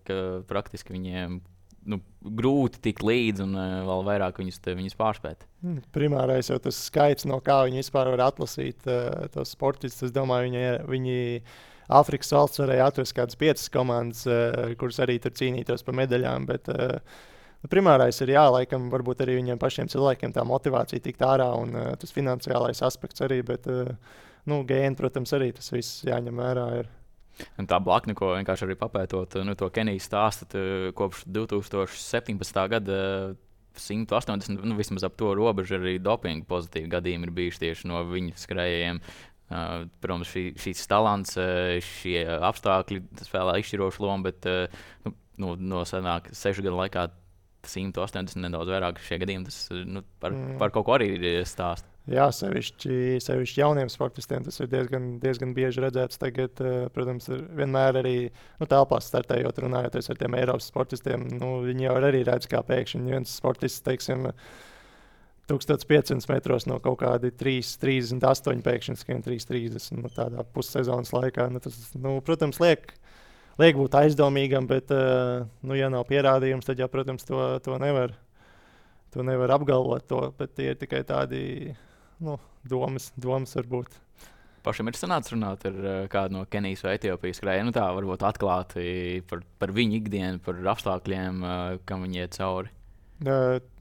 ka praktiski viņiem grūti tikt līdzi un vēl vairāk viņus pārspēt. Primārais jau tas skaits, no kā viņi vispār var atlasīt tos sportistus. Es domāju, viņi Āfrikas valsts varēja atrast kādas 5 komandas, kuras arī tur cīnītos par medaļām. Bet primārais ir laikam varbūt arī viņiem pašiem cilvēkiem tā motivācija tikt ārā un tas finansiālais aspekts arī. Bet gēni, protams, arī tas viss jāņem vērā. Un tā blakne, ko vienkārši arī papētot, to Kenijas stāstu kopš 2017. gada 180, vismaz ap to robežu arī dopinga pozitīvi gadījumi ir bijuši tieši no viņu skrējējiem. Protams, šīs talants, šie apstākļi spēlē izšķirošu lomu, bet no senāk 6 gadu laikā 180 nedaudz vairāk šie gadījumi, tas par kaut ko arī ir stāsts. Jā, sevišķi jauniem sportistiem tas ir diezgan bieži redzēts. Tagad, protams, vienmēr arī telpās startējot, runājoties ar tiem Eiropas sportistiem, viņi jau arī redz, kā pēkšņi viens sportists, teiksim, 1500 metros no kaut kādi 3,38 pēkšņi skrien 3,30 tādā pussezonas laikā. Tas, protams, liek būt aizdomīgam, bet, ja nav pierādījums, tad, protams, to nevar apgalvot. Bet tie ir tikai tādi domas varbūt. Pašam ir sanācis runāt ar kādu no Kenijas vai Etiopijas skrējējiem, tā varbūt atklāti par viņu ikdienu, par apstākļiem, kam viņi iet cauri.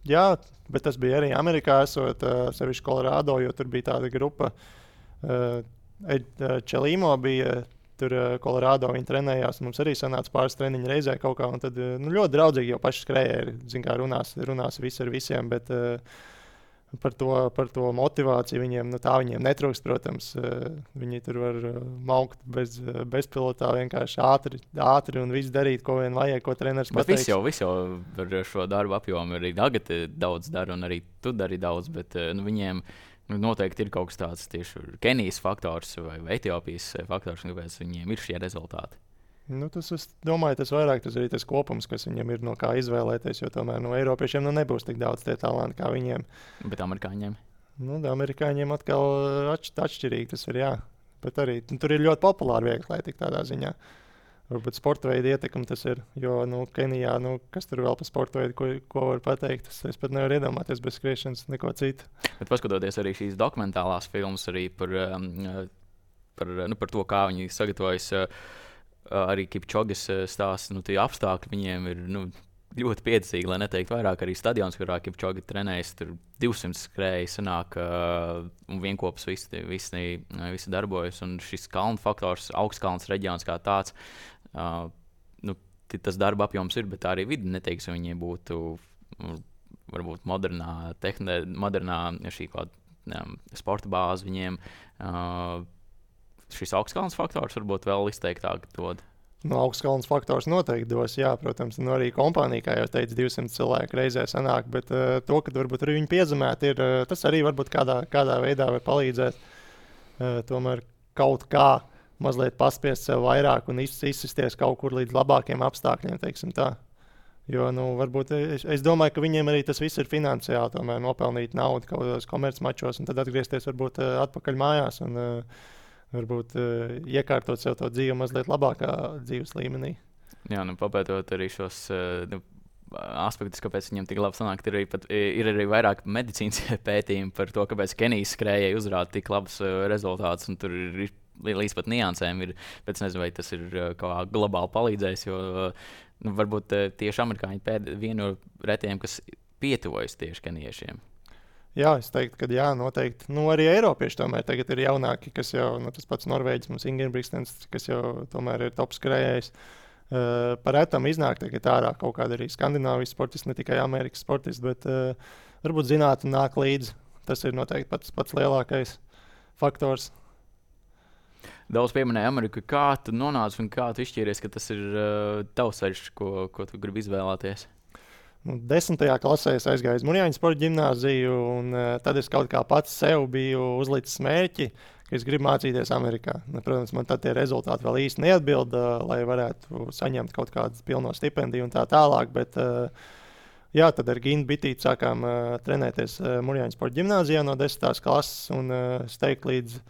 Jā, bet tas bija arī Amerikā, esot sevišķi Kolorādo, jo tur bija tāda grupa. Čelīmo bija tur Kolorādo, viņi trenējās. Mums arī sanāca pāris treniņu reizē kaut kā. Un tad ļoti draudzīgi jau paši skrējēji, zin kā runās visi ar visiem. Bet par to motivāciju viņiem, tā viņiem netrūkst, protams. Viņi tur var maukt bezpilotā vienkārši ātri un visu darīt, ko vien vajag, ko treneris pateiks. Bet viss jau ar šo darbu apjomu arī tagad daudz dara, un arī tu dari daudz, bet viņiem noteikti ir kaut kas tāds tieši Kenijas faktors vai Etiopijas faktors, kāpēc viņiem ir šie rezultāti. Es domāju, tas vairāk tas arī tas kopums, kas viņam ir no kā izvēlēties, jo tomēr no Eiropiešiem nebūs tik daudz tie talanti kā viņiem. Bet amerikāņiem? Amerikāņiem atkal atšķirīgi tas ir, jā. Bet arī tur ir ļoti populāri viegli atlētika tādā ziņā. Varbūt sporta veida ietekme tas ir, jo Kenijā, kas tur vēl par sporta veidu, ko var pateikt, es pat nevaru iedomāties bez skriešanas neko citu. Bet paskatoties arī šīs dokumentālās filmas arī par to, kā viņi sagatavojas, arī Kipčogas stāsts, tie apstākļi viņiem ir ļoti piedzīvīgi, lai neteiktu vairāk. Arī stadions, kurā Kipčoga trenējas, tur 200 skrēja sanāk, un vienkopus visi darbojas. Un šis kalnu faktors, augstkalns reģions kā tāds, tas darba apjoms ir, bet arī vidi neteiks, viņiem būtu varbūt modernā šī sporta bāze viņiem. Šis augstkalns faktors varbūt vēl izteiktāk dod. Augstkalns faktors noteikti dos, jā, protams. Arī kompānija, kā jau teicu, 200 cilvēku reizē sanāk, bet to, ka varbūt arī viņi piezemēti ir, tas arī varbūt kādā veidā var palīdzēt. Tomēr kaut kā mazliet paspiest sev vairāk un izsisties kaut kur līdz labākiem apstākļiem, teiksim tā. Jo, varbūt es domāju, ka viņiem arī tas viss ir finansiāli, tomēr nopelnīt naudu kaut kādos komercmačos un tad atgriezties varbūt atpakaļ mājās un varbūt iekārtot sev to dzīvi mazliet labākā dzīves līmenī. Jā, papētot arī šos aspektus, kāpēc viņam tik labi sanāk, ir arī vairāk medicīnas pētījumi par to, kāpēc Kenijas skrējēji uzrāda tik labus rezultātus, un tur ir līdz pat niansēm. Bet es nezinu, vai tas ir kā globāli palīdzējis, jo varbūt tieši amerikāņi vienu no retiem, kas pietuvojas tieši keniešiem. Jā, es teiktu, ka jā, noteikti. Arī Eiropieši tomēr tagad ir jaunāki, kas jau, tas pats Norvēģis, mums Ingebrigtsens, kas jau tomēr ir top skrējējs. Par retam iznāk tagad ārā kaut kāda arī Skandināvijas sportisti, ne tikai Amerikas sportisti, bet varbūt zinātne nāk līdzi. Tas ir noteikti pats lielākais faktors. Daudz pieminēja Ameriku. Kā tu nonāci un kā tu izšķīries, ka tas ir tavs ceļš, ko tu gribi izvēlēties? 10. klasē es aizgāju uz Mūrjāņu sporta ģimnāziju, un tad es kaut kā pats sev biju uzlicis mērķi, ka es gribu mācīties Amerikā. Protams, man tad tie rezultāti vēl īsti neatbild, lai varētu saņemt kaut kādu pilno stipendiju un tā tālāk, bet jā, tad ar Gintu Bitīti sākām trenēties Mūrjāņu sporta ģimnāzijā no 10. klases, un es teiktu līdz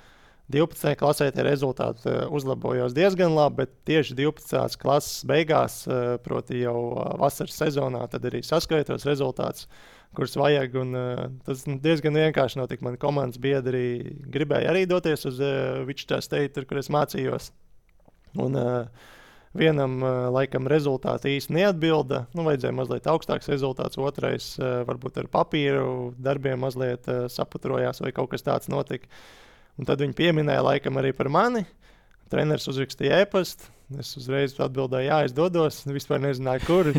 12. klasē tie rezultāti uzlabojos diezgan labi, bet tieši 12. klases beigās, proti jau vasaras sezonā, tad arī saskaitos rezultātus, kurus vajag. Un, tas diezgan vienkārši notika. Mani komandas biedri gribēja arī doties uz Wichita State, kur es mācījos. Un vienam laikam rezultāti īsti neatbilda. Vajadzēja mazliet augstāks rezultāts, otrais varbūt ar papīru darbiem mazliet saputrojās vai kaut kas tāds notika. Un tad viņi pieminēja laikam arī par mani. Treneris uzrakstīja e-pastu. Es uzreiz atbildēju, jā, es dodos. Vispār nezināju, kur.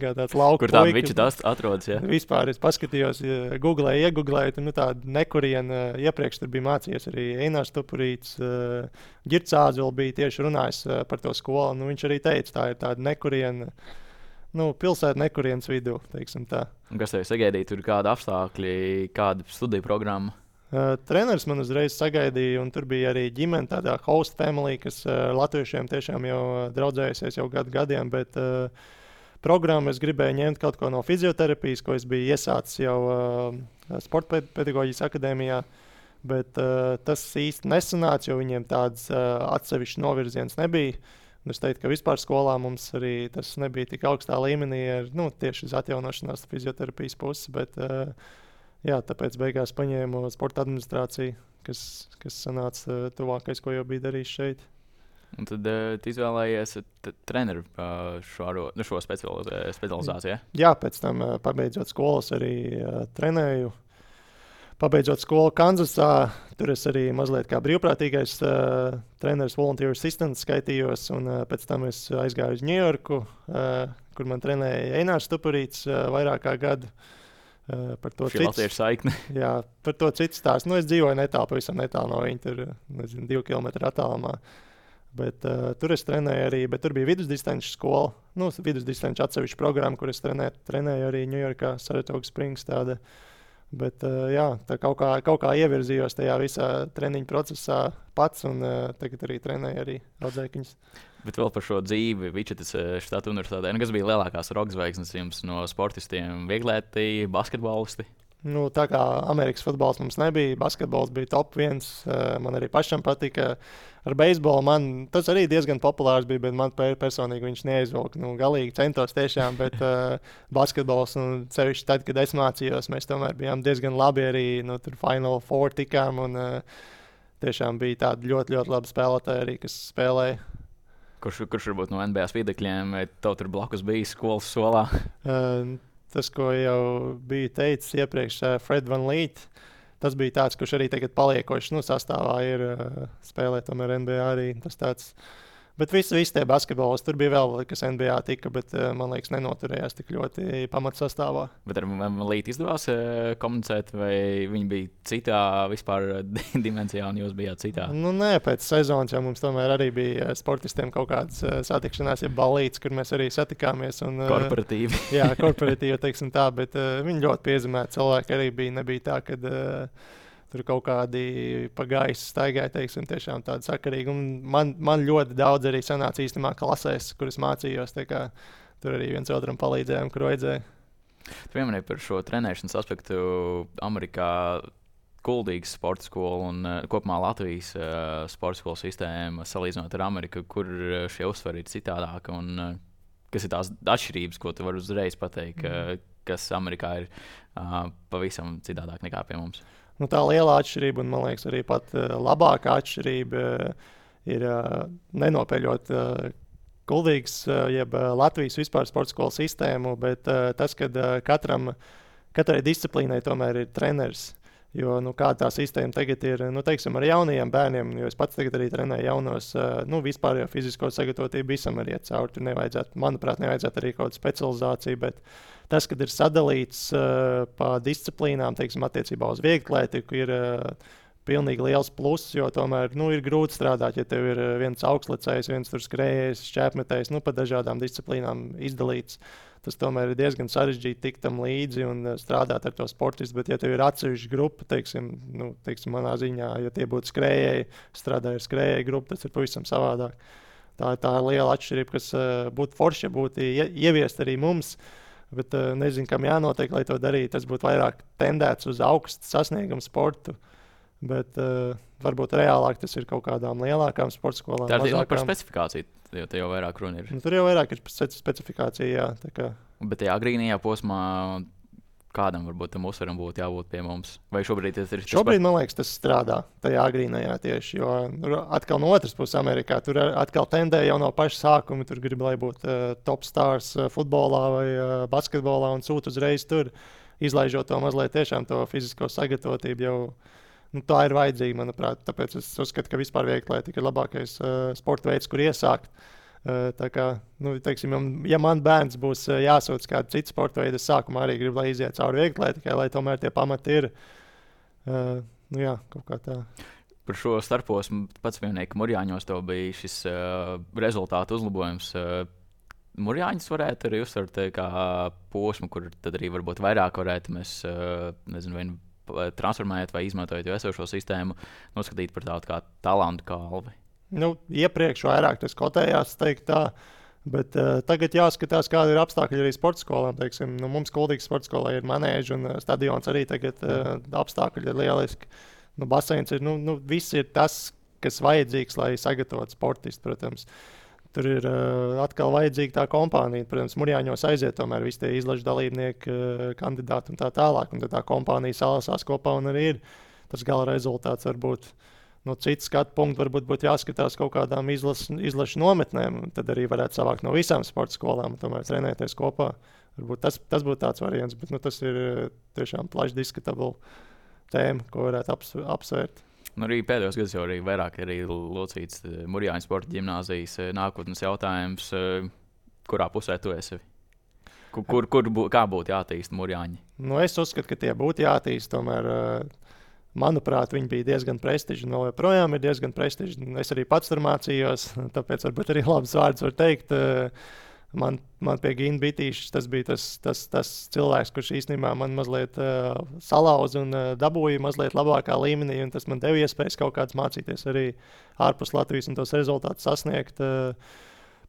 Tāds lauka kur tāda Wichita atrodas, jā? Vispār es paskatījos, iegooglēju, tur tāda nekuriena. Iepriekš tur bija mācījies arī Einārs Tupurīts. Girts Āzvils bija tieši runājis par to skolu. Viņš arī teica, tā ir tāda nekuriena. Pilsēta nekurienes vidū, teiksim tā. Un kas tev sagaidīja? Tur kāda apstākļi, kāda studiju programma? Treneris man uzreiz sagaidīja, un tur bija arī ģimene, tādā host family, kas latviešiem tiešām jau draudzējusies jau gadiem, bet programmu es gribēju ņemt kaut ko no fizioterapijas, ko es biju iesācis jau sporta pedagoģijas akadēmijā, bet tas īsti nesanāca, jo viņiem tāds atsevišķs novirziens nebija. Un es teiktu, ka vispār skolā mums arī tas nebija tik augstā līmenī ar tieši uz atjaunošanās fizioterapijas puses, bet jā, tāpēc beigās paņēmu sporta administrāciju, kas sanāca tuvākais, ko jau bija darījis šeit. Un tad tu izvēlējies treneru šo specializāciju, ja? Jā, pēc tam pabeidzot skolas arī trenēju. Pabeidzot skolu Kanzasā, tur es arī mazliet kā brīvprātīgais treneris volunteer assistant skaitījos, un pēc tam es aizgāju uz Ņujorku, kur man trenēja Einārs Tupurīts vairāk kā gadu. Par to Šī latviešu saikne. Jā, par to citu stāstu. Nu, es dzīvoju pavisam netālu no viņa, tur, 2 kilometru attālumā. Bet, tur es trenēju arī, bet tur bija vidusdistanču skola. Nu, vidusdistanču atsevišķa programma, kur es trenēju arī Ņujorkā, Saratoga Springs tāda. Bet, jā, tā kaut kā ievirzījos tajā visā treniņu procesā pats, un tagad arī trenēju arī audzēkņus. Bet vēl par šo dzīvi Vičetas štata universitātē. Kas bija lielākās rokas zvaigznes jums no sportistiem? Vieglēti, basketbolisti? Nu, tā kā Amerikas futbols mums nebija, basketbols bija top 1. Man arī pašam patika. Ar beisbolu man tas arī diezgan populārs bija, bet man personīgi viņš neizvilka. Nu, galīgi centos tiešām, bet basketbols, un sevišķi tad, kad es mācījos, mēs tomēr bijām diezgan labi arī, nu, tur Final Four tikām, un tiešām bija tādi ļoti, ļoti labi spēlētāji arī, kas spēlēja. Kurš varbūt no NBA viedokļiem, vai tev tur blakus bija skolas solā? Tas, ko jau biju teicis iepriekš, Fred Van Leet, tas bija tāds, kurš arī tagad paliekošs, nu, sastāvā ir spēlē tomēr NBA arī. Tas tāds, bet visi tie basketbolis, tur bija vēl, kas NBA tika, bet man liekas nenoturējās tik ļoti pamatsastāvā. Bet ar Van Leet izdevās komunicēt, vai viņi bija citā vispār dimensijā un jūs bijāt citā? Nu, nē, pēc sezonas jau mums tomēr arī bija sportistiem kaut kādas satikšanās, ja balīts, kur mēs arī satikāmies. Un, korporatīvi. Jā, korporatīvi, teiksim tā, bet viņi ļoti piezemēti cilvēki arī bija. Nebija tā, kad tur kaut kādi pa gaisu staigāja, teiksim, tiešām tādi sakarīgi. Un man ļoti daudz arī sanāca īstenībā klasēs, kuras mācījos. Tur arī viens otram palīdzējām, kur vajadzēja. Tu pieminēji par šo trenēšanas aspektu Amerikā. Kuldīgas sporta skola un kopumā Latvijas sporta skolu sistēma salīdzinot ar Ameriku, kur šie uzsvari ir citādāki un kas ir tās atšķirības, ko tu vari uzreiz pateikt, kas Amerikā ir pavisam citādāk nekā pie mums? Nu, tā liela atšķirība, un man liekas, arī pat labākā atšķirība ir nenopeļot Kuldīgas, jeb Latvijas vispār sporta skolu sistēmu, bet tas, ka katrai disciplīnai tomēr ir treneris. Jo kā tā sistēma tagad ir, nu, teiksim, ar jaunajiem bērniem, jo es pats tagad arī trenēju jaunos, vispār jau fizisko sagatavotību visam ir iet cauri. Tur manuprāt, nevajadzētu arī kaut kādu specializāciju, bet tas, kad ir sadalīts pa disciplīnām, teiksim, attiecībā uz vieglatlētiku, ir pilnīgi liels pluss, jo tomēr ir grūti strādāt, ja tev ir viens augstlicējs, viens tur skrējējs, šķēpmetējs, pa dažādām disciplīnām izdalīts. Tas tomēr ir diezgan sarežģīti tikt tam līdzi un strādāt ar to sportistu, bet ja tev ir atsevišķa grupa, teiksim, manā ziņā, ja tie būtu skrējēji, strādāja ar skrējēju grupu, tas ir pavisam savādāk. Tā ir liela atšķirība, kas būtu forši, ja būtu ieviest arī mums, bet nezinu, kam jānotiek, lai to darītu. Tas būtu vairāk tendēts uz augstu sasniegumu sportu. Bet varbūt reālāk tas ir kaut kādām lielākām sporta skolām. Tā ir par specifikāciju, jo te jau vairāk runa ir. Tur jau vairāk ir specifikācija, jā. Bet tajā agrīnajā posmā kādam varbūt tam uzsveram būtu jābūt pie mums? Vai šobrīd tas ir? Šobrīd, man liekas, tas strādā tajā agrīnajā tieši, jo atkal no otras puses Amerikā tur atkal tendē jau no paša sākuma. Tur grib, lai būtu top stars futbolā vai basketbolā un sūt uzreiz tur, izlaižot to mazliet tiešām to fizisko sagatavotību jau. Tā ir vajadzīga, manuprāt. Tāpēc es uzskatu, ka vispār vieglatlētika ir labākais sporta veids, kur iesākt. Tā kā, teiksim, ja man bērns būs jāsūta kādu citu sporta veidu, es sākumā arī gribu, lai iziet cauri vieglatlētikai, lai tomēr tie pamati ir. Jā, kaut kā tā. Par šo starposmu pats pieminēja, ka Murjāņos tev bija šis rezultātu uzlabojums. Murjāņus varētu arī uztvert kā posmu, kur tad arī varbūt vairāk varētu mēs, nezinu, transformējot vai izmantojot jau esošo sistēmu, noskatīt par tādu kā talantu kalvi. Iepriekš vairāk tas kotējās, teikt tā, bet tagad jāskatās, kāda ir apstākļi arī sporta skolām. Teiksim, mums Kuldīgas sporta skolā ir manēža un stadions arī tagad apstākļi ir lieliski. Baseins ir, viss ir tas, kas vajadzīgs, lai sagatavotu sportistu, protams. Tur ir atkal vajadzīga tā kompānija. Protams, Murjāņos aiziet tomēr visi tie izlažu dalībnieki, kandidāti un tā tālāk. Un tad tā kompānija salasās kopā un arī ir tas gala rezultāts. Varbūt no citas skatu punktu varbūt būtu jāskatās kaut kādām izlašu nometnēm. Tad arī varētu savākt no visām sporta skolām un tomēr trenēties kopā. Varbūt tas būtu tāds variants, bet tas ir tiešām plaši diskutabla tēma, ko varētu apsvērt. Arī pēdējos gados jau arī vairāk locīts Murjāņu sporta ģimnāzijas nākotnes jautājums. Kurā pusē tu esi? Kā būtu jātīst Mūrjāņi? Nu, es uzskatu, ka tie būtu jātīst. Tomēr, manuprāt, viņi bija diezgan prestiži. No joprojām ir diezgan prestiži. Es arī pats tur mācījos, tāpēc varbūt arī labs vārds var teikt. Man pie Gina Bitīša tas bija tas cilvēks, kurš īstenībā man mazliet salauza un dabūja mazliet labākā līmenī. Tas man deva iespējas kaut kādas mācīties arī ārpus Latvijas un tos rezultātus sasniegt.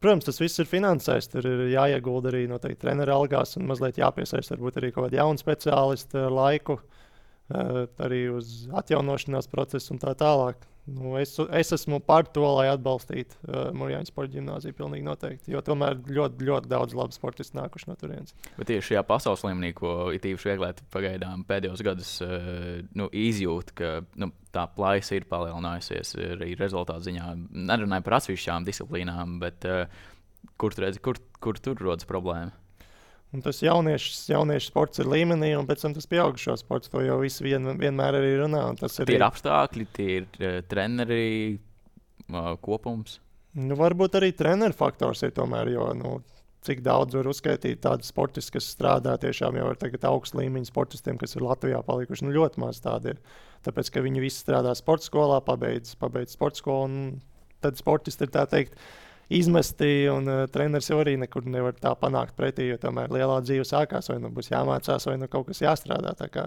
Protams, tas viss ir finansēts. Tur ir jāiegulda arī noteikti treneru algās un mazliet jāpiesaista varbūt arī kaut kādi jauni speciālisti ar laiku, arī uz atjaunošanās procesu un tā tālāk. Nu, es esmu par to, lai atbalstītu Mūrjāņu sporta ģimnāziju pilnīgi noteikti, jo tomēr ļoti, ļoti daudz labu sportistu nākuši no turienes. Bet tieši šajā pasaules līmenī, ko it īpaši vieglēti pagaidām pēdējos gadus izjūt, ka tā plaisa ir palielinājusies arī rezultātu ziņā. Nerunāju par atsevišķām disciplīnām, bet kur tur rodas problēma? Un tas jauniešu sports ir līmenī, un pēc tam tas pieaugušo sports. To jau visi vienmēr arī runā. Tie ir apstākļi, tie ir treneri kopums. Nu, varbūt arī treneru faktors ir tomēr, jo cik daudz var uzskaitīt tādu sportistu, kas strādā tiešām jau ar augstu līmeņu sportistiem, kas ir Latvijā palikuši. Ļoti maz tādi ir. Tāpēc, ka viņi visi strādā sporta skolā, pabeidz sporta skolu, un tad sportisti ir tā teikt izmesti, un treneris jau arī nekur nevar tā panākt pretī, jo tomēr lielā dzīve sākās, vai būs jāmācās, vai kaut kas jāstrādā. Tā kā,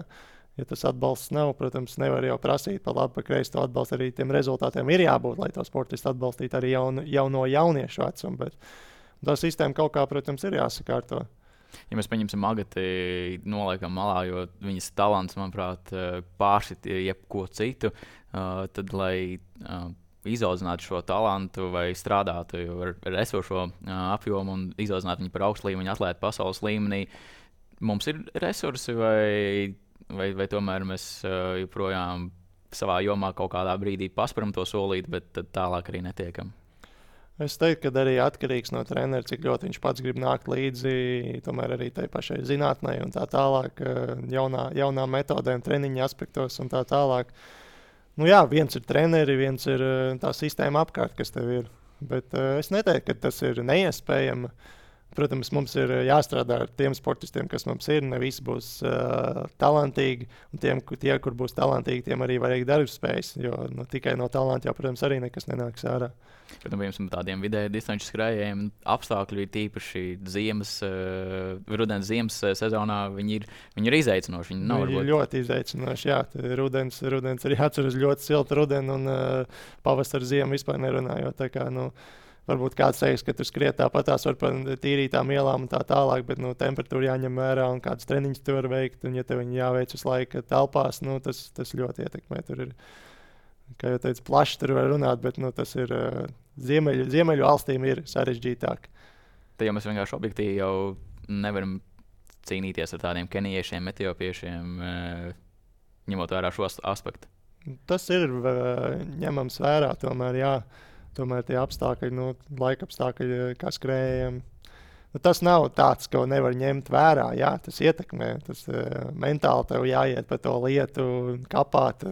ja tas atbalsts nav, protams, nevar jau prasīt pa labi, pa kreisi to atbalstu. Arī tiem rezultātiem ir jābūt, lai to sportistu atbalstītu arī jau no jauniešu vecuma. Bet tā sistēma kaut kā, protams, ir jāsakārto. Ja mēs paņemsim Agati, noliekam malā, jo viņas talants, manuprāt, pāršķiet jebko citu, tad, lai izaudzinātu šo talantu vai strādātu ar esošo apjomu un izaudzinātu viņu par augstu līmeņu atlētu pasaules līmenī, mums ir resursi vai tomēr mēs joprojām savā jomā kaut kādā brīdī pasparam to solīt, bet tad tālāk arī netiekam? Es teiktu, ka arī atkarīgs no trenera, cik ļoti viņš pats grib nākt līdzi, tomēr arī tai pašai zinātnei un tā tālāk, jaunām metodēm, treniņa aspektos un tā tālāk. Nu jā, viens ir treneri, viens ir tā sistēma apkārt, kas tev ir. Bet es neteiktu, ka tas ir neiespējami. Protams, mums ir jāstrādā ar tiem sportistiem, kas mums ir. Ne visi būs talantīgi. Un tie, kur būs talantīgi, tiem arī vajag darbspējas. Jo tikai no talanta jau, protams, arī nekas nenāks ārā. Bet piemēram, tādiem vidēji distanču skrējējiem apstākļi ir tīpaši rudens ziemas sezonā. Viņi ir izaicinoši. Viņi ir ļoti izaicinoši. Jā, rudens arī atceras ļoti siltu rudeni un pavasara ziemu vispār nerunājot. Tā kā, varbūt kāds teiks, ka tur skriet tāpatās var pa tīrītām ielām un tā tālāk, bet temperatūra jāņem vērā un kādas treniņas tu var veikt. Un ja tev viņi jāveic uz laiku telpās, tas ļoti ietekmē. Tur ir, kā jau teicu, plaši tur var runāt, bet tas ir ziemeļu valstīm ir sarežģītāk. Tad jau mēs vienkārši objektīvi jau nevaram cīnīties ar tādiem kenijiešiem, etiopiešiem, ņemot vērā šo aspektu. Tas ir ņemams vērā, tomēr jā. Tomēr tie apstākļi, laika apstākļi, kā skrējējiem, tas nav tāds, ko nevar ņemt vērā. Jā, tas ietekmē. Tas mentāli tev jāiet pa to lietu, kapāt.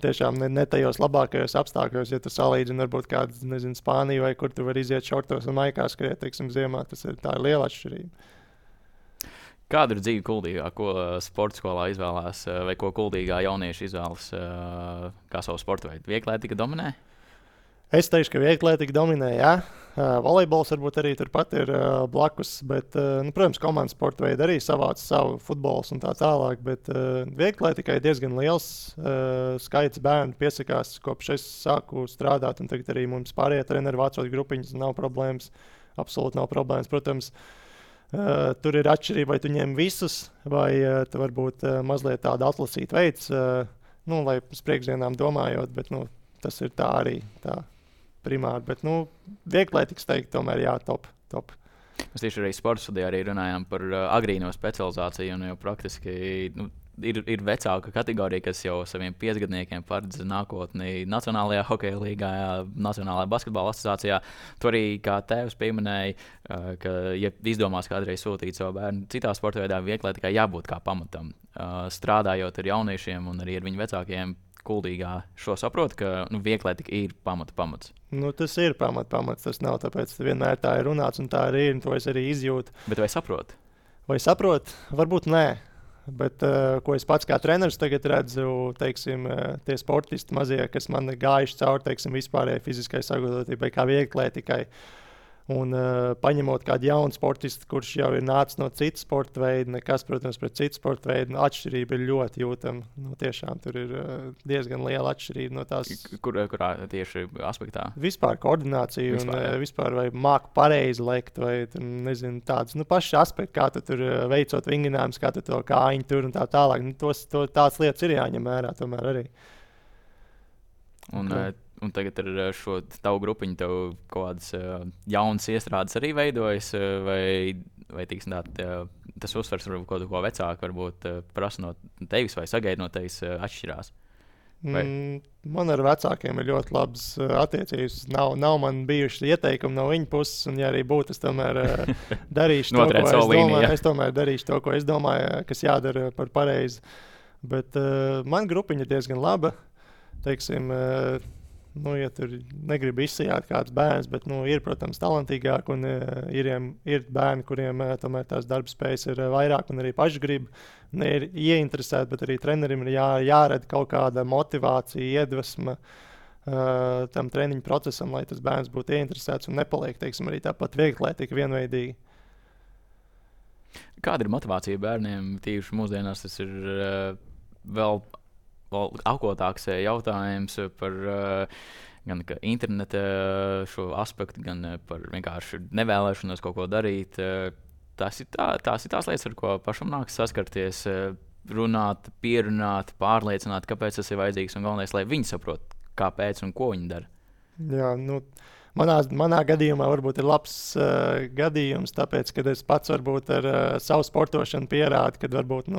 Tiešām ne tajos labākajos apstākļos, ja tu salīdzini varbūt kādu, Spāniju vai kur tu vari iziet šortos un maikā skriet, teiksim, ziemā. Tā ir liela atšķirība. Kāda ir dzīve Kuldīgā? Ko sporta skolā izvēlās vai ko Kuldīgā jaunieši izvēlas kā savu sporta veidu? Vieglētika dominē? Es teikšu, ka vieglētika dominē, jā. Volejbols varbūt arī turpat ir blakus, bet, protams, komandas sporta veidi arī savāc savu futbols un tā tālāk, bet vieglētikai diezgan liels skaits bērnu piesakās, kopš es sāku strādāt, un tagad arī mums pārējie treneri vācot grupiņas, nav problēmas, absolūti nav problēmas, protams. Tur ir atšķirība, vai tu ņem visus, vai tu varbūt mazliet tādu atlasīt veids, lai uz priekšdienām domājot, bet, tas ir tā arī tā. Primāri, bet vieglētikas teikt, tomēr jā, top. Mēs tieši arī sporta studijā arī runājām par agrīno specializāciju, un jau praktiski ir vecāka kategorija, kas jau saviem 5-gadniekiem paredz nākotni Nacionālajā hokeja līgā, Nacionālajā basketbola asociācijā. Tu arī kā tēvs pieminēji, ka, ja izdomās kādreiz sūtīt savu bērnu citā sporta veidā, vieglētikai jābūt kā pamatam. Strādājot ar jauniešiem un arī ar viņu vecākiem, Kuldīgā šo saprot, ka vieglētika ir pamats. Tas ir pamats. Tas nav tāpēc, ka vienmēr tā ir runāts un tā arī ir, un to es arī izjūtu. Bet vai saprot? Vai saprot? Varbūt nē. Bet, ko es pats kā treneris tagad redzu, teiksim, tie sportisti mazie, kas man gājuši cauri, teiksim, vispārējai fiziskai sagatavotībai, kā vieglatlētikai. Un paņemot kādu jaunu sportistu, kurš jau ir nācis no citas sporta veida, nekas, protams, pret citu sporta veidu, atšķirība ir ļoti jūtama. Tiešām tur ir diezgan liela atšķirība no tās. Kurā tieši aspektā? Vispār koordinācija un vispār vai māku pareizi lekt, vai nezinu, tāds pašs aspekts, kā tu tur veicot vingrinājumus, kā tu to kājiņu tur un tā tālāk. Tādas lietas ir jāņem vērā tomēr arī. Un tagad ar šo tavu grupiņu tev kaut kādas jaunas iestrādes arī veidojas, vai tiksim, tas uzsvers varbūt kaut ko vecāku, varbūt prasa no tevis vai sagaida no tevis atšķirās? Man ar vecākiem ir ļoti labas attiecības. Nav man bijuši ieteikumi no viņa puses, un ja arī būtu, es tomēr darīšu to, ko es domāju. Es tomēr darīšu to, ko es domāju, kas jādara par pareizi. Bet man grupiņa ir diezgan laba. Teiksim, ja tur negribu izsajāt kāds bērns, bet ir, protams, talantīgāk, un ir bērni, kuriem tomēr tās darba spējas ir vairāk un arī paši grib. Ir ieinteresēti, bet arī trenerim ir jāredz kaut kāda motivācija, iedvesma tam treniņu procesam, lai tas bērns būtu ieinteresēts un nepaliek, teiksim, arī tāpat vieglatlētika vienveidīgi. Kāda ir motivācija bērniem? Tīši mūsdienās tas ir vēl augotāks jautājums par gan interneta šo aspektu, gan par vienkārši nevēlēšanos kaut ko darīt. Tās ir tās lietas, ar ko pašam nāks saskarties, runāt, pierunāt, pārliecināt, kāpēc tas ir vajadzīgs, un galvenais, lai viņi saprot, kāpēc un ko viņi dara. Jā, manā gadījumā varbūt ir labs gadījums, tāpēc, ka es pats varbūt ar savu sportošanu pierādu, kad varbūt,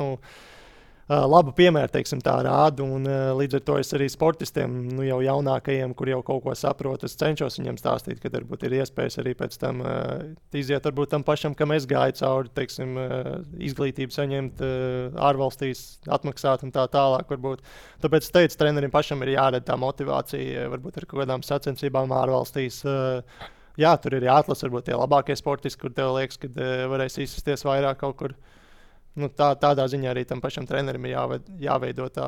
labu piemēru, teiksim, tā rādu, un līdz ar to es arī sportistiem, jau jaunākajiem, kur jau kaut ko saprot, es cenšos viņiem stāstīt, ka varbūt ir iespējas arī pēc tam iziet varbūt tam pašam, kam es gāju cauri, teiksim, izglītību saņemt ārvalstīs, atmaksāt un tā tālāk varbūt. Tāpēc es teicu, trenerim pašam ir jāredz tā motivācija, varbūt ar kaut kādām sacensībām ārvalstīs. Jā, tur ir jāatlasa varbūt tie labākie sportisti, kur tev liekas, ka varēs izsisties vairāk kaut kur. Tādā ziņā arī tam pašam trenerim ir jāveido tā.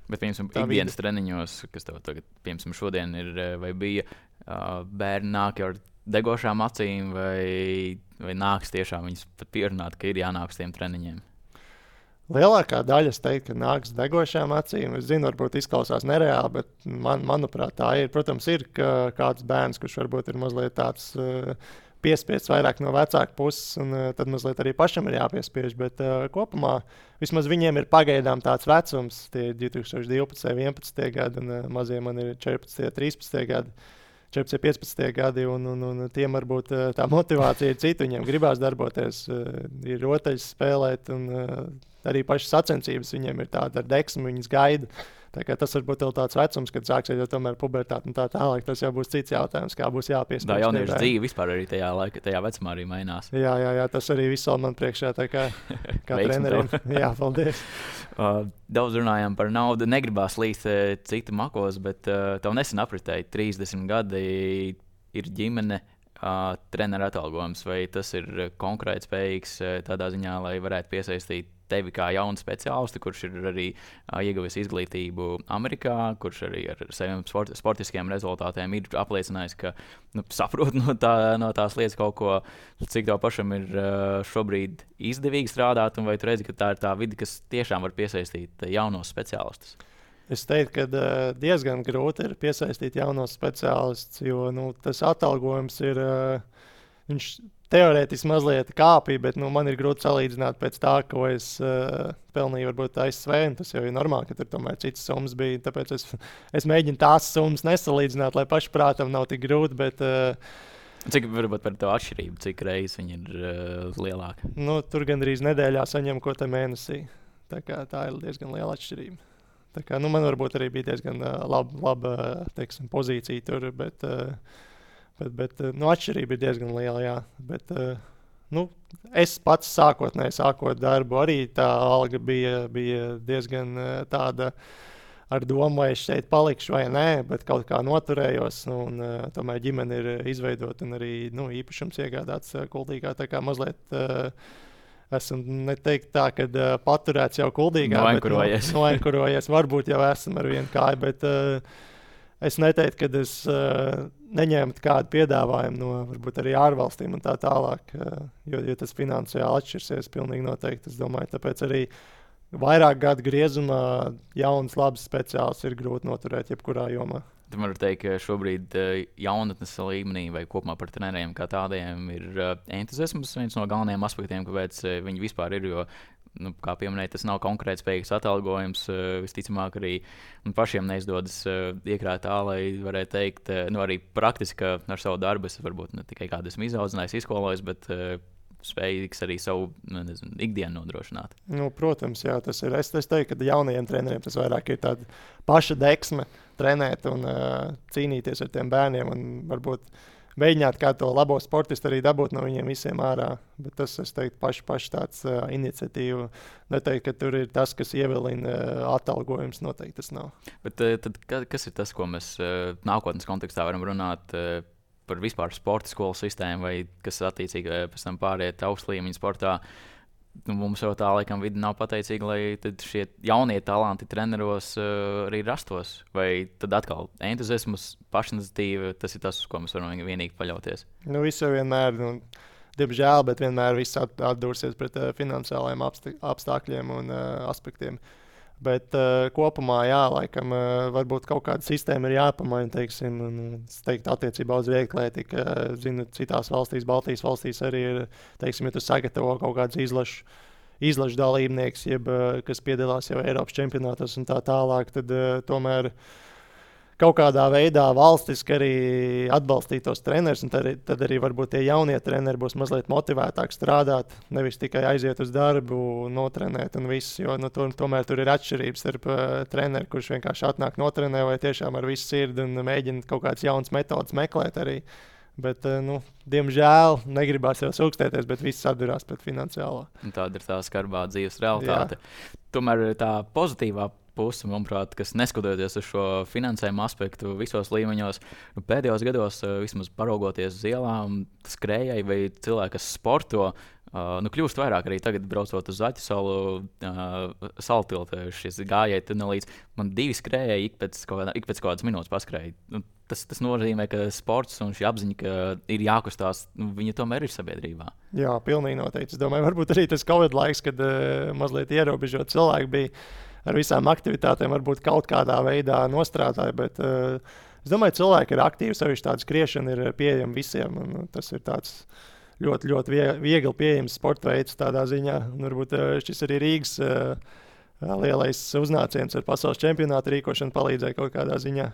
Bet, piemēram, ikdienas treniņos, kas tev tagad, piemēram, šodien ir, vai bija bērni nāk ar degošām acīm, vai nāks tiešām viņus pat pierunāt, ka ir jānāk uz tiem treniņiem? Lielākā daļa, es teiktu, ka nāks degošām acīm. Es zinu, varbūt izklausās nereāli, bet manuprāt, tā ir. Protams, ir kāds bērns, kurš varbūt ir mazliet tāds piespiests vairāk no vecāka puses, un tad mazliet arī pašam ir jāpiespiež. Bet kopumā vismaz viņiem ir pagaidām tāds vecums, tie 2012, 11 gadi, un mazie man ir 14, 13 gadi. 14, 15 gadi, un tiem varbūt tā motivācija ir cita. Viņiem gribās darboties, ir rotaļas spēlēt, un arī pašas sacensības viņiem ir tāda ar deksmu, viņas gaida. Tā kā tas varbūt ir tāds vecums, kad sāksies jau tomēr pubertāte un tā tālāk. Tas jau būs cits jautājums, kā būs jāpiespiež. Tā jauniešu dzīve vispār arī tajā vecumā arī mainās. Jā, tas arī viss man priekšā, tā kā trenerim. Jā, paldies. Daudz runājām par naudu, negribās līst citu makos, bet tev nesen apritēja 30 gadi, ir ģimene, treneru atalgojums, vai tas ir konkrēti spējīgs tādā ziņā, lai varētu piesaistīt tevi kā jaunu speciālistu, kurš ir arī ieguvis izglītību Amerikā, kurš arī ar saviem sportiskiem rezultātiem ir apliecinājis, ka saprot no tās lietas kaut ko, cik tev pašam ir šobrīd izdevīgi strādāt, un vai tu redzi, ka tā ir tā vide, kas tiešām var piesaistīt jaunos speciālistus? Es teiktu, ka diezgan grūti ir piesaistīt jaunos speciālistus, jo tas atalgojums ir, viņš teorētiski mazliet kāpīja, bet man ir grūti salīdzināt pēc tā, ko es pelnīju varbūt ASV, un tas jau ir normāli, ka tur tomēr citas summas bija, tāpēc es mēģinu tās summas nesalīdzināt, lai pašprātam nav tik grūti, bet... Cik varbūt par to atšķirību, cik reizes viņi ir lielāki? Tur gandrīz nedēļā saņem ko te mēnesī, tā ir diezgan liela atšķirība. Tā kā, man varbūt arī bija diezgan laba teiksim, pozīcija tur, bet atšķirība ir diezgan liela, jā. Bet, es pats sākot darbu, arī tā alga bija diezgan tāda ar domu, vai es šeit palikšu vai nē, bet kaut kā noturējos, un tomēr ģimene ir izveidota un arī īpašums iegādāts kultīgā, tā kā mazliet esmu neteikt tā, ka paturēts jau Kuldīgā. Noenkurojies. Varbūt jau esmu ar vienu kāju, bet es neteiktu, ka es neņēmu kādu piedāvājumu no varbūt arī ārvalstīm un tā tālāk, jo tas finansiāli atšķirsies pilnīgi noteikti. Es domāju, tāpēc arī vairāk gadu griezumā jauns, labs speciāls ir grūti noturēt jebkurā jomā. Tad man var teikt, ka šobrīd jaunatnes līmenī vai kopumā par treneriem kā tādiem ir entuziasms viens no galvenajiem aspektiem, kāpēc viņi vispār ir. Jo, kā pieminēja, tas nav konkrēti spējīgs atalgojums. Visticamāk, arī pašiem neizdodas iekrāt tā, lai varētu teikt, arī praktiski ar savu darbu es varbūt ne tikai kādu esmu izaudzinājis, izskolojis, bet spējīgs arī savu ikdienu nodrošināt. Protams, jā, tas ir. Es teiktu, ka jaunajiem treneriem tas vairāk ir tāda paša deksme trenēt un cīnīties ar tiem bērniem un varbūt mēģināt kā to labo sportistu arī dabūt no viņiem visiem ārā. Bet tas, es teiktu, paši tāds iniciatīva. Neteiktu, ka tur ir tas, kas ievilina atalgojums. Noteikti tas nav. Bet tad, kas ir tas, ko mēs nākotnes kontekstā varam runāt par vispār sporta skolu sistēmu, vai kas attiecīgi pēc tam pāriet augstu līmeņa sportā? Mums jau tā laikam vidi nav pateicīga, lai šie jaunie talanti treneros arī rastos. Vai tad atkal entuziasms, pašiniciatīva, tas ir tas, uz ko mēs varam vienīgi paļauties? Viss jau vienmēr, diemžēl, bet vienmēr viss atdursies pret finansiālajiem apstākļiem un aspektiem. Bet kopumā, jā, laikam, varbūt kaut kāda sistēma ir jāpamaina, teiksim, attiecībā uz vieglatlētiku. Zinu, citās valstīs, Baltijas valstīs arī ir, teiksim, ja tu sagatavo kaut kādus izlašu dalībnieks, kas piedalās jau Eiropas čempionātos un tā tālāk, tad tomēr kaut kādā veidā valstiski arī atbalstīt tos trenerus, un tad arī varbūt tie jaunie treneri būs mazliet motivētāk strādāt, nevis tikai aiziet uz darbu, notrenēt un viss, jo tomēr tur ir atšķirības starp treneri, kurš vienkārši atnāk notrenē vai tiešām ar visu sirdi un mēģina kaut kādas jaunas metodas meklēt arī. Bet, diemžēl, negribās jau sūkstēties, bet viss atdurās pret finansiālo. Tāda ir tā skarbā dzīves realitāte. Jā. Tomēr tā pozitīvā puse, manuprāt, kas neskatoties uz šo finansējumu aspektu visos līmeņos, pēdējos gados, vismaz paraugoties uz ielām, skrējēji vai cilvēki, kas sporto, kļūst vairāk arī tagad, braucot uz Zaķu salu, saltiltu, šis gājēji tunelīts. Man 2 skrējēji ik pēc kaut kādas minūtes paskrēja. Tas nozīmē, ka sports un šī apziņa, ka ir jākustās, viņa tomēr ir sabiedrībā. Jā, pilnīgi noteikti. Es domāju, varbūt arī tas Covid laiks, kad mazliet ierobežot cilvēki bija ar visām aktivitātēm, varbūt kaut kādā veidā nostrādāja, bet es domāju, cilvēki ir aktīvi, sevišķi tāda skriešana ir pieejama visiem, un tas ir tāds ļoti, ļoti viegli pieejams sporta veids tādā ziņā. Un varbūt šis arī Rīgas lielais uznāciens ar pasaules čempionātu rīkošanu palīdzēja kaut kādā ziņā.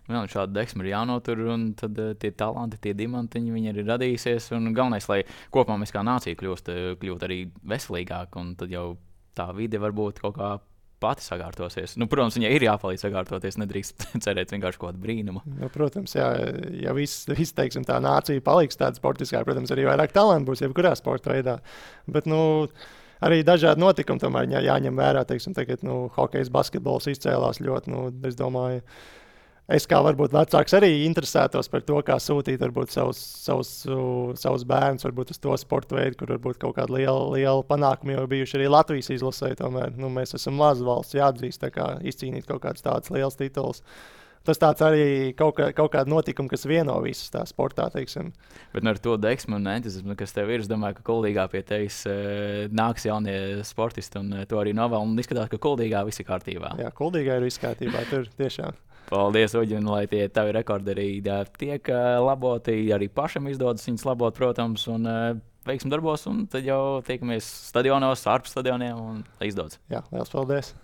Jā, šāda deksme ir jānotur, un tad tie talanti, tie diamantiņi, viņi ir radījusies. Un galvenais, lai kopumā mēs kā nācija kļūt arī veselīgāk, un tad jau tā vide varbūt kaut kā pati sakārtosies. Protams, viņai ir jāpalīdz sakārtoties, nedrīkst cerēt vienkārši kaut kādu brīnumu. Protams, jā, ja viss teiksim, tā nācija paliks tāda sportiskā, protams, arī vairāk talantu būs jebkurā sporta veidā. Bet, arī dažādi notikumi tomēr jāņem vērā. Teiksim, tagad, hokejs, basketbols izcēlās ļoti, es domāju, es kā varbūt vecāks arī interesētos par to, kā sūtīt varbūt savus bērnus varbūt uz to sporta veidu, kur varbūt kaut kāda liela panākuma jau bijuši arī Latvijas izlasē. Tomēr mēs esam maza valsts, jāatzīst, tā kā izcīnīt kaut kāds tāds liels tituls. Tas tāds arī kaut kāda notikuma, kas vieno visus tā sportā, teiksim. Bet ar to deksmu un entuziasmu, kas tev ir, es domāju, ka Kuldīgā pie tevis nāks jaunie sportisti un to arī novēl. Un izskatās, ka Kuldīgā viss ir kārtībā. Jā, Kuldīgā ir viss kārtībā, tur tiešām. Paldies, Uģi, un lai tie tavi rekordi arī tiek laboti, arī pašam izdodas viņus labot, protams, un veiksim darbos, un tad jau tiekamies stadionos, ārpus stadioniem, un lai izdodas. Jā, liels paldies!